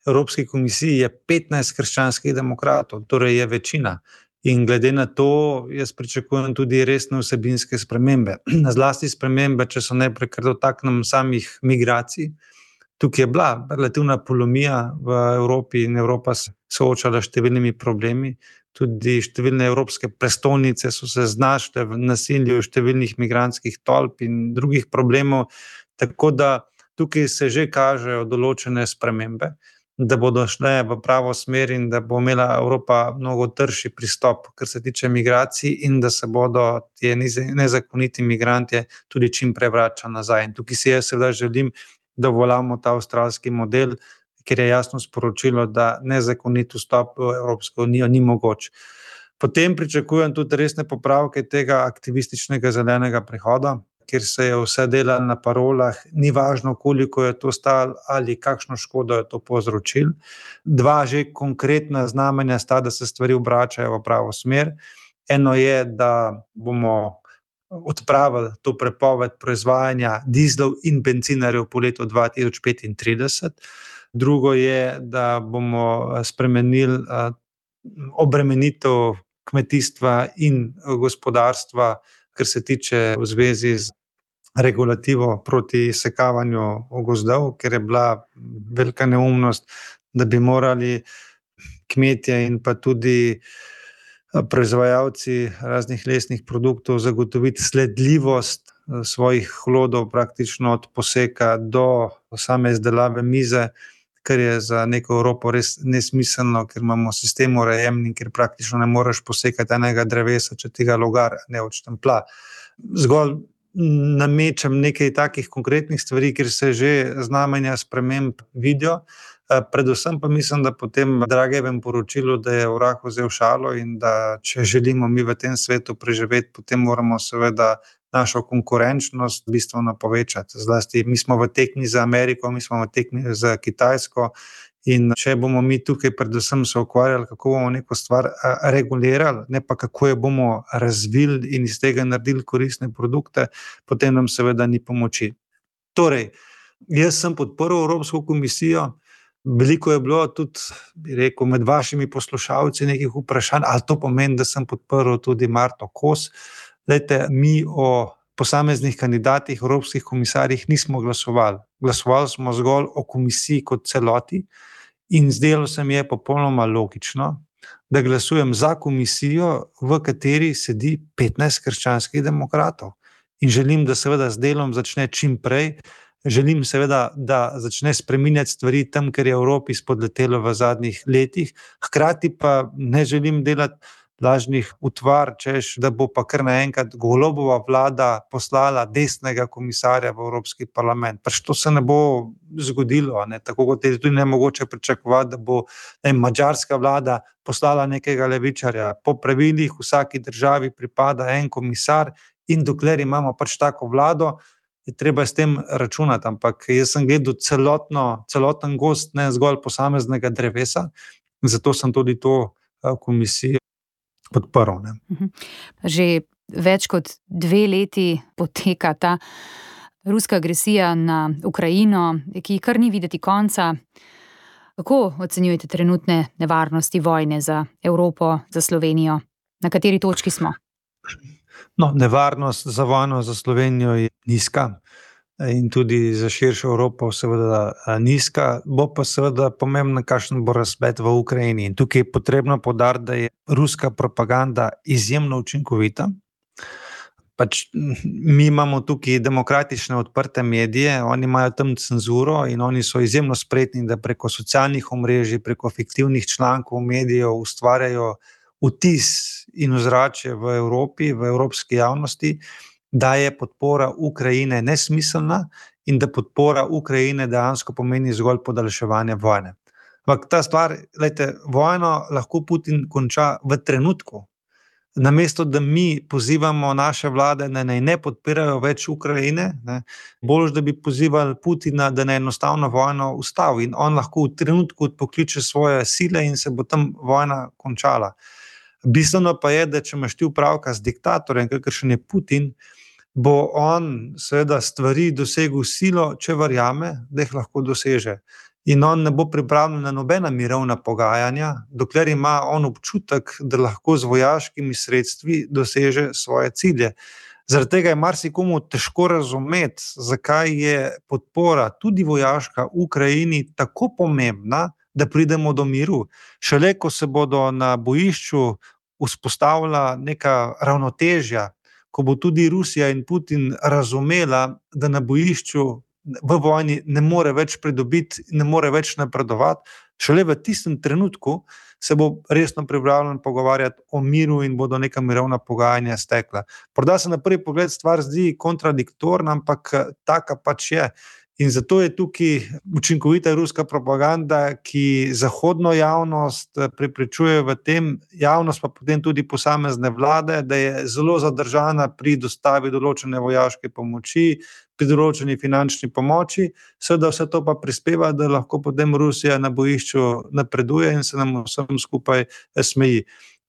Evropski komisiji je petnajst krščanskih demokratov, torej je večina. In glede na to, jaz pričakujem tudi resne vsebinske spremembe. Zlasti spremembe, če so najprej kar dotaknem samih migracij. Tukaj je bila relativna polomija v Evropi in Evropa se soočala s številnimi problemi. Tudi številne evropske prestolnice so se znašle v nasilju številnih migrantskih tolp in drugih problemov. Tako da tukaj se že kažejo določene spremembe, da bodo šle v pravo smer in da bo imela Evropa mnogo trši pristop, kar se tiče migracij, in da se bodo ti nezakoniti migranti tudi čim prej vračali nazaj. In tukaj si jaz seveda želim, da uveljavimo ta avstralski model, ker je jasno sporočilo, da nezakonit vstop v Evropsko unijo ni mogoč. Potem pričakujem tudi resne popravke tega aktivističnega zelenega prehoda, kjer se je vse delalo na parolah, ni važno, koliko je to stalo ali kakšno škodo je to povzročilo. Dva že konkretna znamenja sta, da se stvari obračajo v pravo smer. Eno je, da bomo odpravili to prepoved proizvajanja dizlov in bencinarjev po letu dva tisoč petintrideset. Drugo je, da bomo spremenili obremenitev kmetijstva in gospodarstva, kar se tiče v zvezi z regulativo proti sekavanju gozdov, ker je bila velika neumnost, da bi morali kmetje in pa tudi proizvajalci raznih lesnih produktov zagotoviti sledljivost svojih hlodov praktično od poseka do same izdelave mize, kar je za neko Evropo res nesmiselno, ker imamo sistem urejen in ker praktično ne moreš posekati enega drevesa, če tega logar ne odštemplja. Zgolj namečem nekaj takih konkretnih stvari, kjer se že znamenja sprememb vidijo. Predvsem pa mislim, da po tem Dragijevem poročilu, da je vrag vzel šalo in da če želimo mi v tem svetu preživeti, potem moramo seveda našo konkurenčnost bistveno povečati. Zlasti mi smo v tekmi za Ameriko, mi smo v tekmi za Kitajsko in če bomo mi tukaj predvsem se ukvarjali, kako bomo neko stvar regulirali, ne pa kako jo bomo razvili in iz tega naredili koristne produkte, potem nam seveda ni pomoči. Torej, jaz sem podprl Evropsko komisijo. Veliko je bilo tudi, bi rekel, med vašimi poslušalci nekih vprašanj, ali to pomeni, da sem podprl tudi Marto Kos. Lejte, mi o posameznih kandidatih, evropskih komisarjih nismo glasovali. Glasovali smo zgolj o komisiji kot celoti in zdelo se mi je popolnoma logično, da glasujem za komisijo, v kateri sedi petnajst krščanskih demokratov. In želim, da seveda z delom začne čim prej. Želim seveda, da začne spreminjati stvari tam, ker je Evropi spodletelo v zadnjih letih. Hkrati pa ne želim delati lažnih utvar, češ, da bo pa kar naenkrat Golobova vlada poslala desnega komisarja v Evropski parlament. Pač to se ne bo zgodilo, ne? Tako kot je tudi nemogoče pričakovati, da bo ne, madžarska vlada poslala nekega levičarja. Po pravilih vsaki državi pripada en komisar in dokler imamo pač tako vlado, je treba s tem računati, ampak jaz sem gledal celotno, celoten gost, ne zgolj posameznega drevesa, zato sem tudi to komisijo podprl. Ne. Že več kot dve leti poteka ta ruska agresija na Ukrajino, ki kar ni videti konca. Kako ocenjujete trenutne nevarnosti vojne za Evropo, za Slovenijo? Na kateri točki smo? No, nevarnost za vojno za Slovenijo je nizka in tudi za širšo Evropo seveda nizka. Bo pa seveda pomembno, kakšen bo razplet v Ukrajini. In tukaj je potrebno poudariti, da je ruska propaganda izjemno učinkovita. Pač mi imamo tukaj demokratične odprte medije, oni imajo tam cenzuro in oni so izjemno spretni, da preko socialnih omrežij, preko fiktivnih člankov medijev ustvarjajo vtis in ozračje v Evropi, v evropski javnosti, da je podpora Ukrajine nesmiselna in da podpora Ukrajine dejansko pomeni zgolj podaljševanje vojne. Ampak ta stvar, glejte, vojno lahko Putin konča v trenutku. Namesto, da mi pozivamo naše vlade, da naj ne podpirajo več Ukrajine, ne, bolj, da bi pozivali Putina, da naj enostavno vojno ustavi in on lahko v trenutku odpokliče svoje sile in se bo tam vojna končala. Bistveno pa je, da če imaš ti opravka z diktatorjem, kakršen je Putin, bo on seveda stvari dosegel silo, če verjame, da jih lahko doseže. In on ne bo pripravljen na nobena mirovna pogajanja, dokler ima on občutek, da lahko z vojaškimi sredstvi doseže svoje cilje. Zaradi tega je marsikomu težko razumeti, zakaj je podpora, tudi vojaška, Ukrajini tako pomembna, da pridemo do miru. Šele ko se bodo na bojišču vzpostavila neka ravnotežja, ko bo tudi Rusija in Putin razumela, da na bojišču v vojni ne more več pridobiti, ne more več napredovati, šele v tistem trenutku se bo resno pripravljen pogovarjati o miru in bodo neka mirovna pogajanja stekla. Morda se na prvi pogled stvar zdi kontradiktorna, ampak taka pač je. In zato je tukaj učinkovita ruska propaganda, ki zahodno javnost prepričuje v tem, javnost pa potem tudi posamezne vlade, da je zelo zadržana pri dostavi določene vojaške pomoči, pri določeni finančni pomoči, seveda vse to pa prispeva, da lahko potem Rusija na bojišču napreduje in se nam vsem skupaj smeji.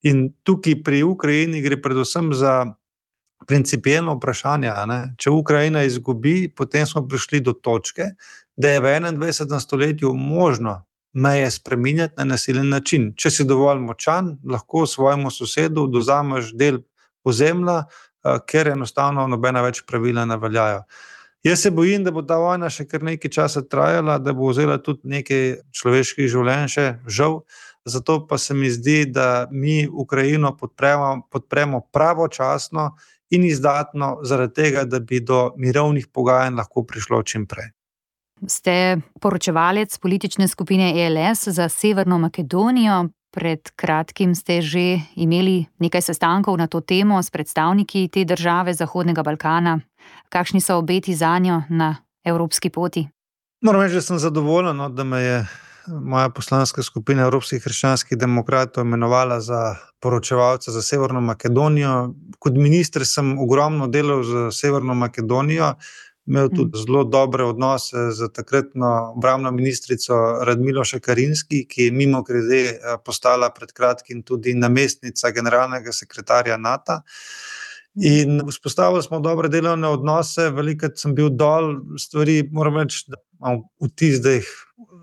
In tukaj pri Ukrajini gre predvsem za principijelno vprašanje, ne? Če Ukrajina izgubi, potem smo prišli do točke, da je v enaindvajsetem stoletju možno meje spreminjati na nasilen način. Če si dovolj močan, lahko svojemu sosedu dozameš del ozemlja, ker enostavno nobena več pravila ne veljajo. Jaz se bojim, da bo ta vojna še kar nekaj časa trajala, da bo vzela tudi nekaj človeških življenj še, žal. Zato pa se mi zdi, da mi Ukrajino podpremo, podpremo pravočasno in izdatno zaradi tega, da bi do mirovnih pogajanj lahko prišlo čim prej. Ste poročevalec politične skupine E L S za Severno Makedonijo. Pred kratkim ste že imeli nekaj sestankov na to temo s predstavniki te države Zahodnega Balkana. Kakšni so obeti zanjo na evropski poti? Moram reči, da sem zadovoljen, da me je moja poslanska skupina Evropskih krščanskih demokratov imenovala za poročevalca za Severno Makedonijo. Kot minister sem ogromno delal za Severno Makedonijo, imel tudi zelo dobre odnose z takratno obrambno ministrico Radmilo Šekarinski, ki je mimogrede postala pred kratkim tudi namestnica generalnega sekretarja NATO. In vzpostavili smo dobre delovne odnose, velikokrat sem bil dol, stvari, moram reči, da imam vtis, da jih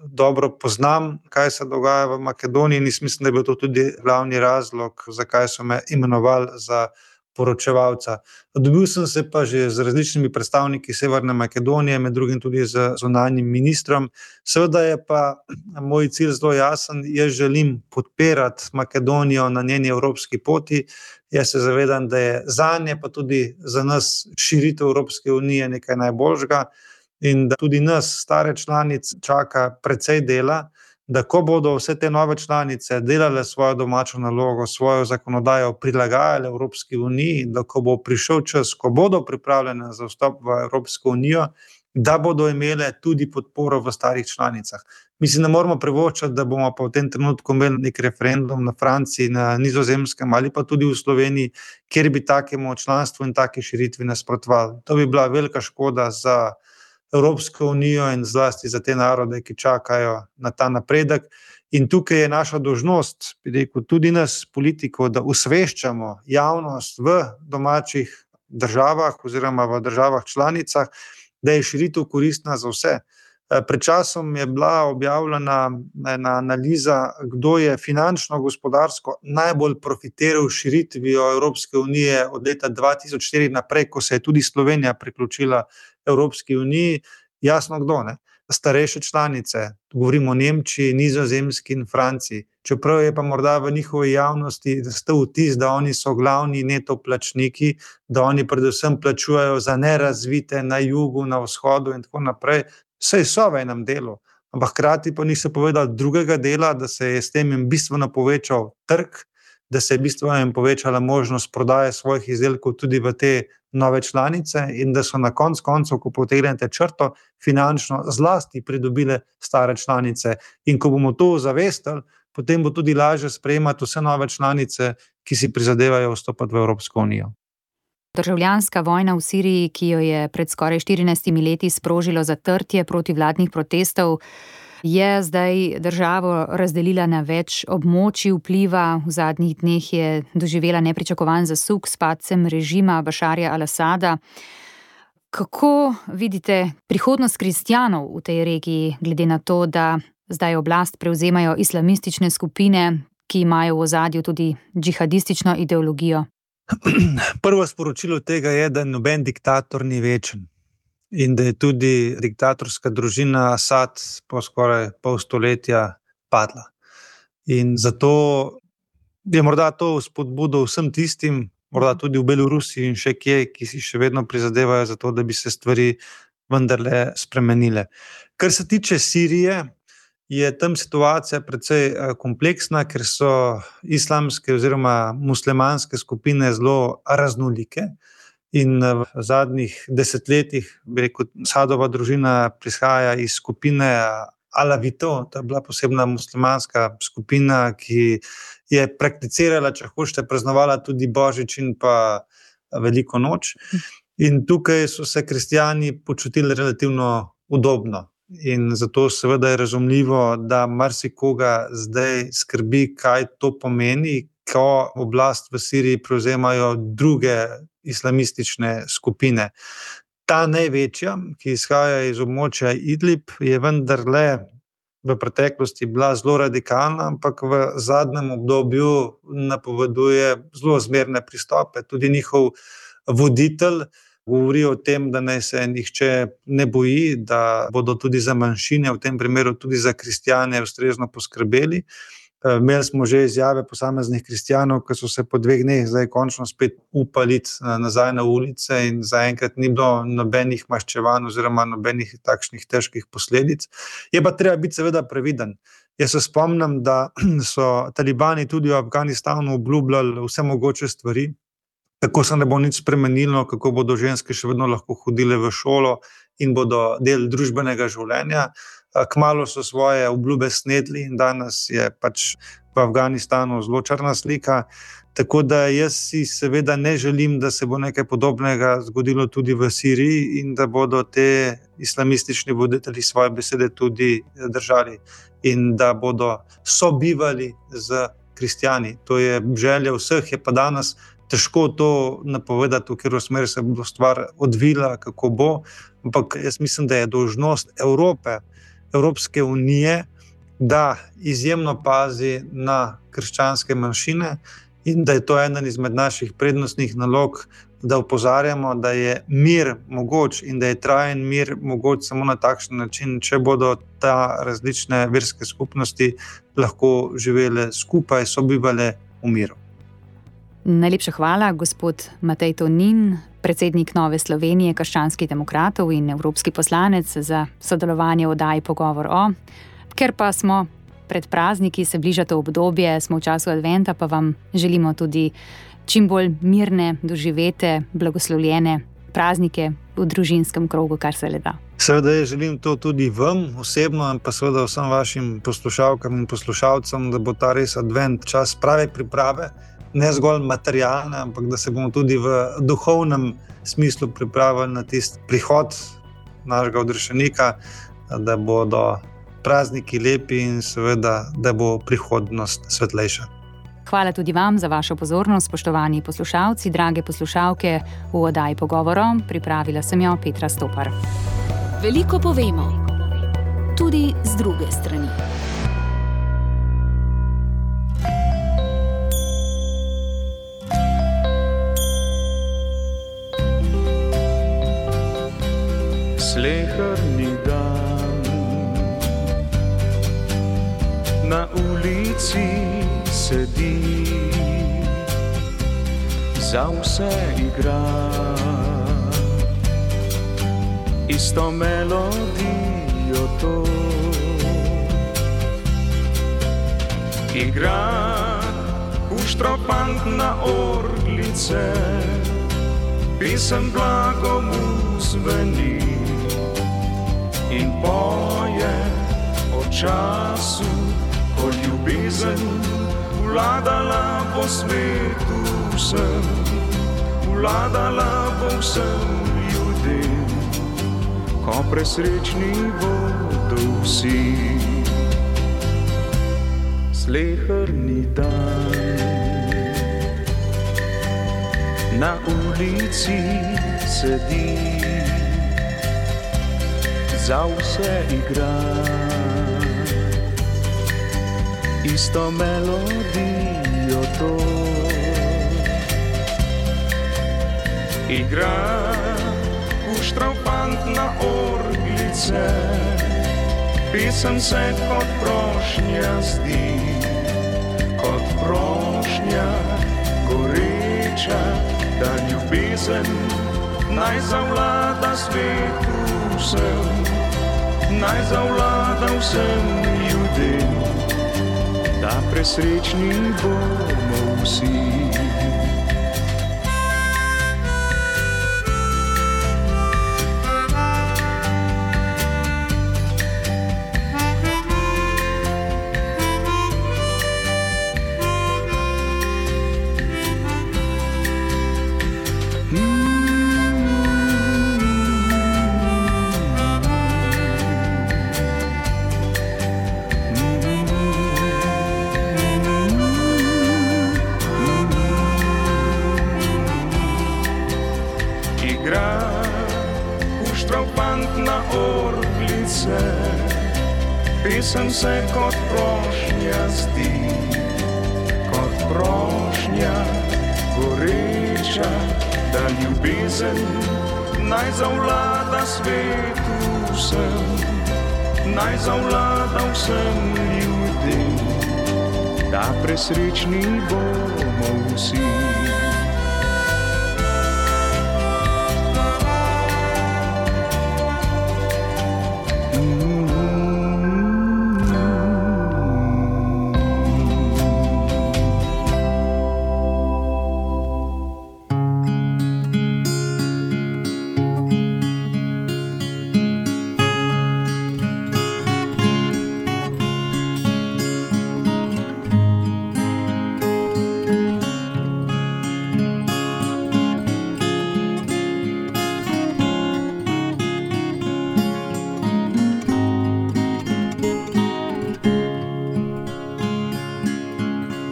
dobro poznam, kaj se dogaja v Makedoniji, in mislim, da je bil to tudi glavni razlog, zakaj so me imenovali za poročevalca. Dobil sem se pa že z različnimi predstavniki Severne Makedonije, med drugim tudi z zunanjim ministrom. Seveda je pa moj cilj zelo jasen, jaz želim podpirati Makedonijo na njeni evropski poti. Jaz se zavedam, da je zanje pa tudi za nas širitev Evropske unije nekaj najboljšega in da tudi nas, stare članice, čaka precej dela, da ko bodo vse te nove članice delale svojo domačo nalogo, svojo zakonodajo prilagajale Evropski uniji, da ko bo prišel čas, ko bodo pripravljene za vstop v Evropsko unijo, da bodo imele tudi podporo v starih članicah. Mislim, ne moramo privoščiti, da bomo pa v tem trenutku imeli nek referendum na Franciji, na Nizozemskem ali pa tudi v Sloveniji, kjer bi takemu članstvu in taki širitvi nasprotovali. To bi bila velika škoda za Evropsko unijo in zlasti za te narode, ki čakajo na ta napredek. In tukaj je naša dolžnost, bi rekel, tudi nas, politikov, da osveščamo javnost v domačih državah oziroma v državah članicah, da je širitev koristna za vse. Pred časom je bila objavljena ena analiza, kdo je finančno, gospodarsko najbolj profitiral širitvijo Evropske unije od leta dva tisoč štiri naprej, ko se je tudi Slovenija priključila Evropski uniji. Jasno kdo, ne? Starejše članice, govorimo o Nemčiji, Nizozemski in Franciji. Čeprav je pa morda v njihovi javnosti nastal vtis, da oni so glavni neto plačniki, da oni predvsem plačujejo za nerazvite na jugu, na vzhodu in tako naprej. Saj so v enem delu, ampak hkrati pa niso povedali drugega dela, da se je s tem bistveno povečal trg, da se je bistveno povečala možnost prodaje svojih izdelkov tudi v te nove članice in da so na koncu koncev, ko potegnete črto, finančno zlasti pridobile stare članice. In ko bomo to zavestili, potem bo tudi lažje sprejemati vse nove članice, ki si prizadevajo vstopati v Evropsko unijo. Državljanska vojna v Siriji, ki jo je pred skoraj štirinajstimi leti sprožilo zatrtje protivladnih protestov, je zdaj državo razdelila na več območij vpliva. V zadnjih dneh je doživela nepričakovan zasuk s padcem režima Bašarja al-Asada. Kako vidite prihodnost kristjanov v tej regiji, glede na to, da zdaj oblast prevzemajo islamistične skupine, ki imajo v ozadju tudi džihadistično ideologijo? Prvo sporočilo tega je, da noben diktator ni večen in da je tudi diktatorska družina Asad po skoraj pol stoletja padla. In zato je morda to spodbudo vsem tistim, morda tudi v Belorusiji in še kje, ki si še vedno prizadevajo za to, da bi se stvari vendarle spremenile. Kar se tiče Sirije, je tam situacija precej kompleksna, ker so islamske oziroma muslimanske skupine zelo raznolike in v zadnjih desetletjih, bi rekel, Asadova družina prihaja iz skupine Alavitov, to je bila posebna muslimanska skupina, ki je prakticirala, če hočete, praznovala tudi Božič in pa Veliko noč. In tukaj so se kristjani počutili relativno udobno. In zato seveda je razumljivo, da marsikoga zdaj skrbi, kaj to pomeni, ko oblast v Siriji prevzemajo druge islamistične skupine. Ta največja, ki izhaja iz območja Idlib, je vendarle v preteklosti bila zelo radikalna, ampak v zadnjem obdobju napoveduje zelo zmerne pristope. Tudi njihov voditelj govori o tem, da naj se nihče ne boji, da bodo tudi za manjšine, v tem primeru tudi za kristjane, ustrezno poskrbeli. Imeli smo že izjave posameznih kristjanov, ki so se po dveh dneh zdaj končno spet upali nazaj na ulice in zaenkrat ni bilo nobenih maščevanj oziroma nobenih takšnih težkih posledic. Je pa treba biti seveda previden. Jaz se spomnim, da so talibani tudi v Afganistanu obljubljali vse mogoče stvari, kako se ne bo nič spremenilo, kako bodo ženske še vedno lahko hodile v šolo in bodo del družbenega življenja. Kmalu so svoje obljube snedli in danes je pač v Afganistanu zelo črna slika. Tako da jaz si seveda ne želim, da se bo nekaj podobnega zgodilo tudi v Siriji in da bodo te islamistični voditelji svoje besede tudi držali in da bodo sobivali z kristjani. To je želja vseh, je pa danes težko to napovedati, v katero smer se bo stvar odvila, kako bo, ampak jaz mislim, da je dolžnost Evrope, Evropske unije, da izjemno pazi na krščanske manjšine in da je to eden izmed naših prednostnih nalog, da opozarjamo, da je mir mogoč in da je trajen mir mogoč samo na takšen način, če bodo ta različne verske skupnosti lahko živele skupaj, sobivale v miru. Najlepša hvala, gospod Matej Tonin, predsednik Nove Slovenije, krščanskih demokratov in evropski poslanec, za sodelovanje v oddaji Pogovor o. Ker pa smo pred prazniki, se bliža to obdobje, smo v času adventa, pa vam želimo tudi čim bolj mirne, doživete, blagoslovljene praznike v družinskem krogu, kar se le da. Seveda jaz želim to tudi vam osebno in pa seveda vsem vašim poslušalkam in poslušalcem, da bo ta res advent čas prave priprave, ne zgolj materialne, ampak da se bomo tudi v duhovnem smislu pripravili na tisti prihod našega odrešenika, da bodo prazniki lepi in seveda, da bo prihodnost svetlejša. Hvala tudi vam za vašo pozornost, spoštovani poslušalci, drage poslušalke. V oddaji Pogovorom pripravila sem jo Petra Stopar. Veliko povemo, tudi z druge strani. Sleherni dan na ulici sedi, za vse igra isto melodijo to. Igra v uštropant na orglice, pesem blago mu zveni in poje o času, ko ljubezen vladala po svetu vsem, vladala po vsem ljudem, ko presrečni bodo vsi. Sleherni dan na ulici sedi, za vse igra isto melodijo to. Igra uštropant na orglice, pesem se kot prošnja zdi, kot prošnja goreča, da ljubezen naj zavlada svetu vsem, naj zavlada vsem ljudem, da presrečni bomo vsi. Pesem se kot prošnja zdi, kot prošnja goreča, da ljubezen naj zavlada svetu vsem, naj zavlada vsem ljudem, da presrečni bomo vsi.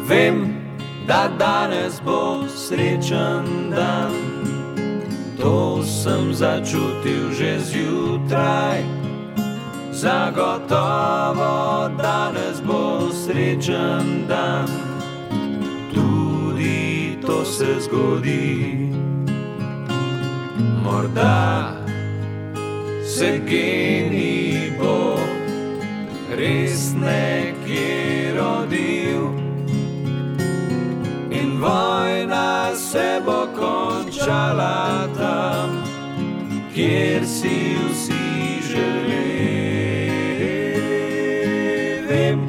Vem, da danes bo srečen dan, to sem začutil že zjutraj. Zagotovo danes bo srečen dan, tudi to se zgodi. Morda se genij bo res nekje rodil in vojna se bo končala tam, kjer si vsi želeli. Vem,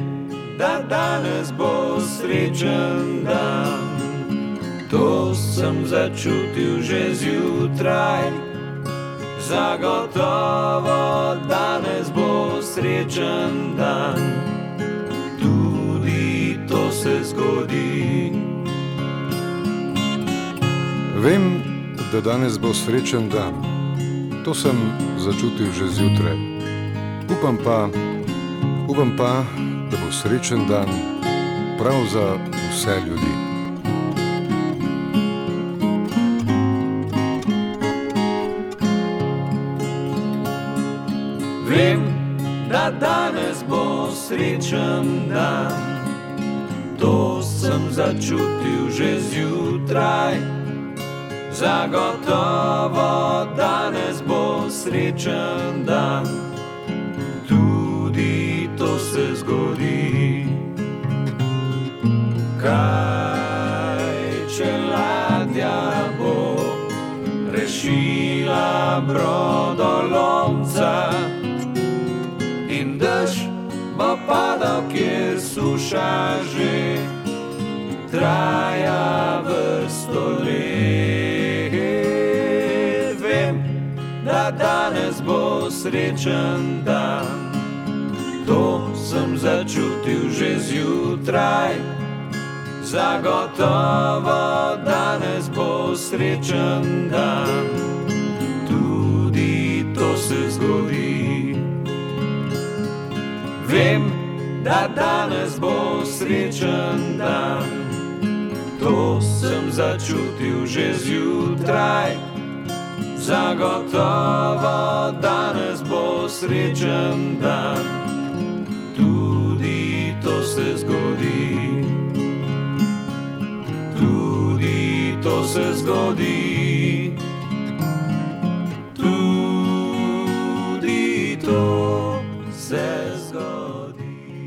da danes bo srečen dan, to sem začutil že zjutraj. Zagotovo danes bo srečen dan, tudi to se zgodi. Vem, da danes bo srečen dan, to sem začutil že zjutraj. Upam pa, upam pa, da bo srečen dan prav za vse ljudi. Vem, da danes bo srečen dan, to sem začutil že zjutraj. Zagotovo danes bo srečen dan, tudi to se zgodi. Kaj če ladja bo rešila brodolomca in dež bo padal, kjer suša že traja vrsto let. Vem, da danes bo srečen dan, to sem začutil že zjutraj. Zagotovo danes bo srečen dan, tudi to se zgodi. Vem, da danes bo srečen dan, to sem začutil že zjutraj. Zagotovo danes bo srečen dan, tudi to se zgodi. Tudi to se zgodi.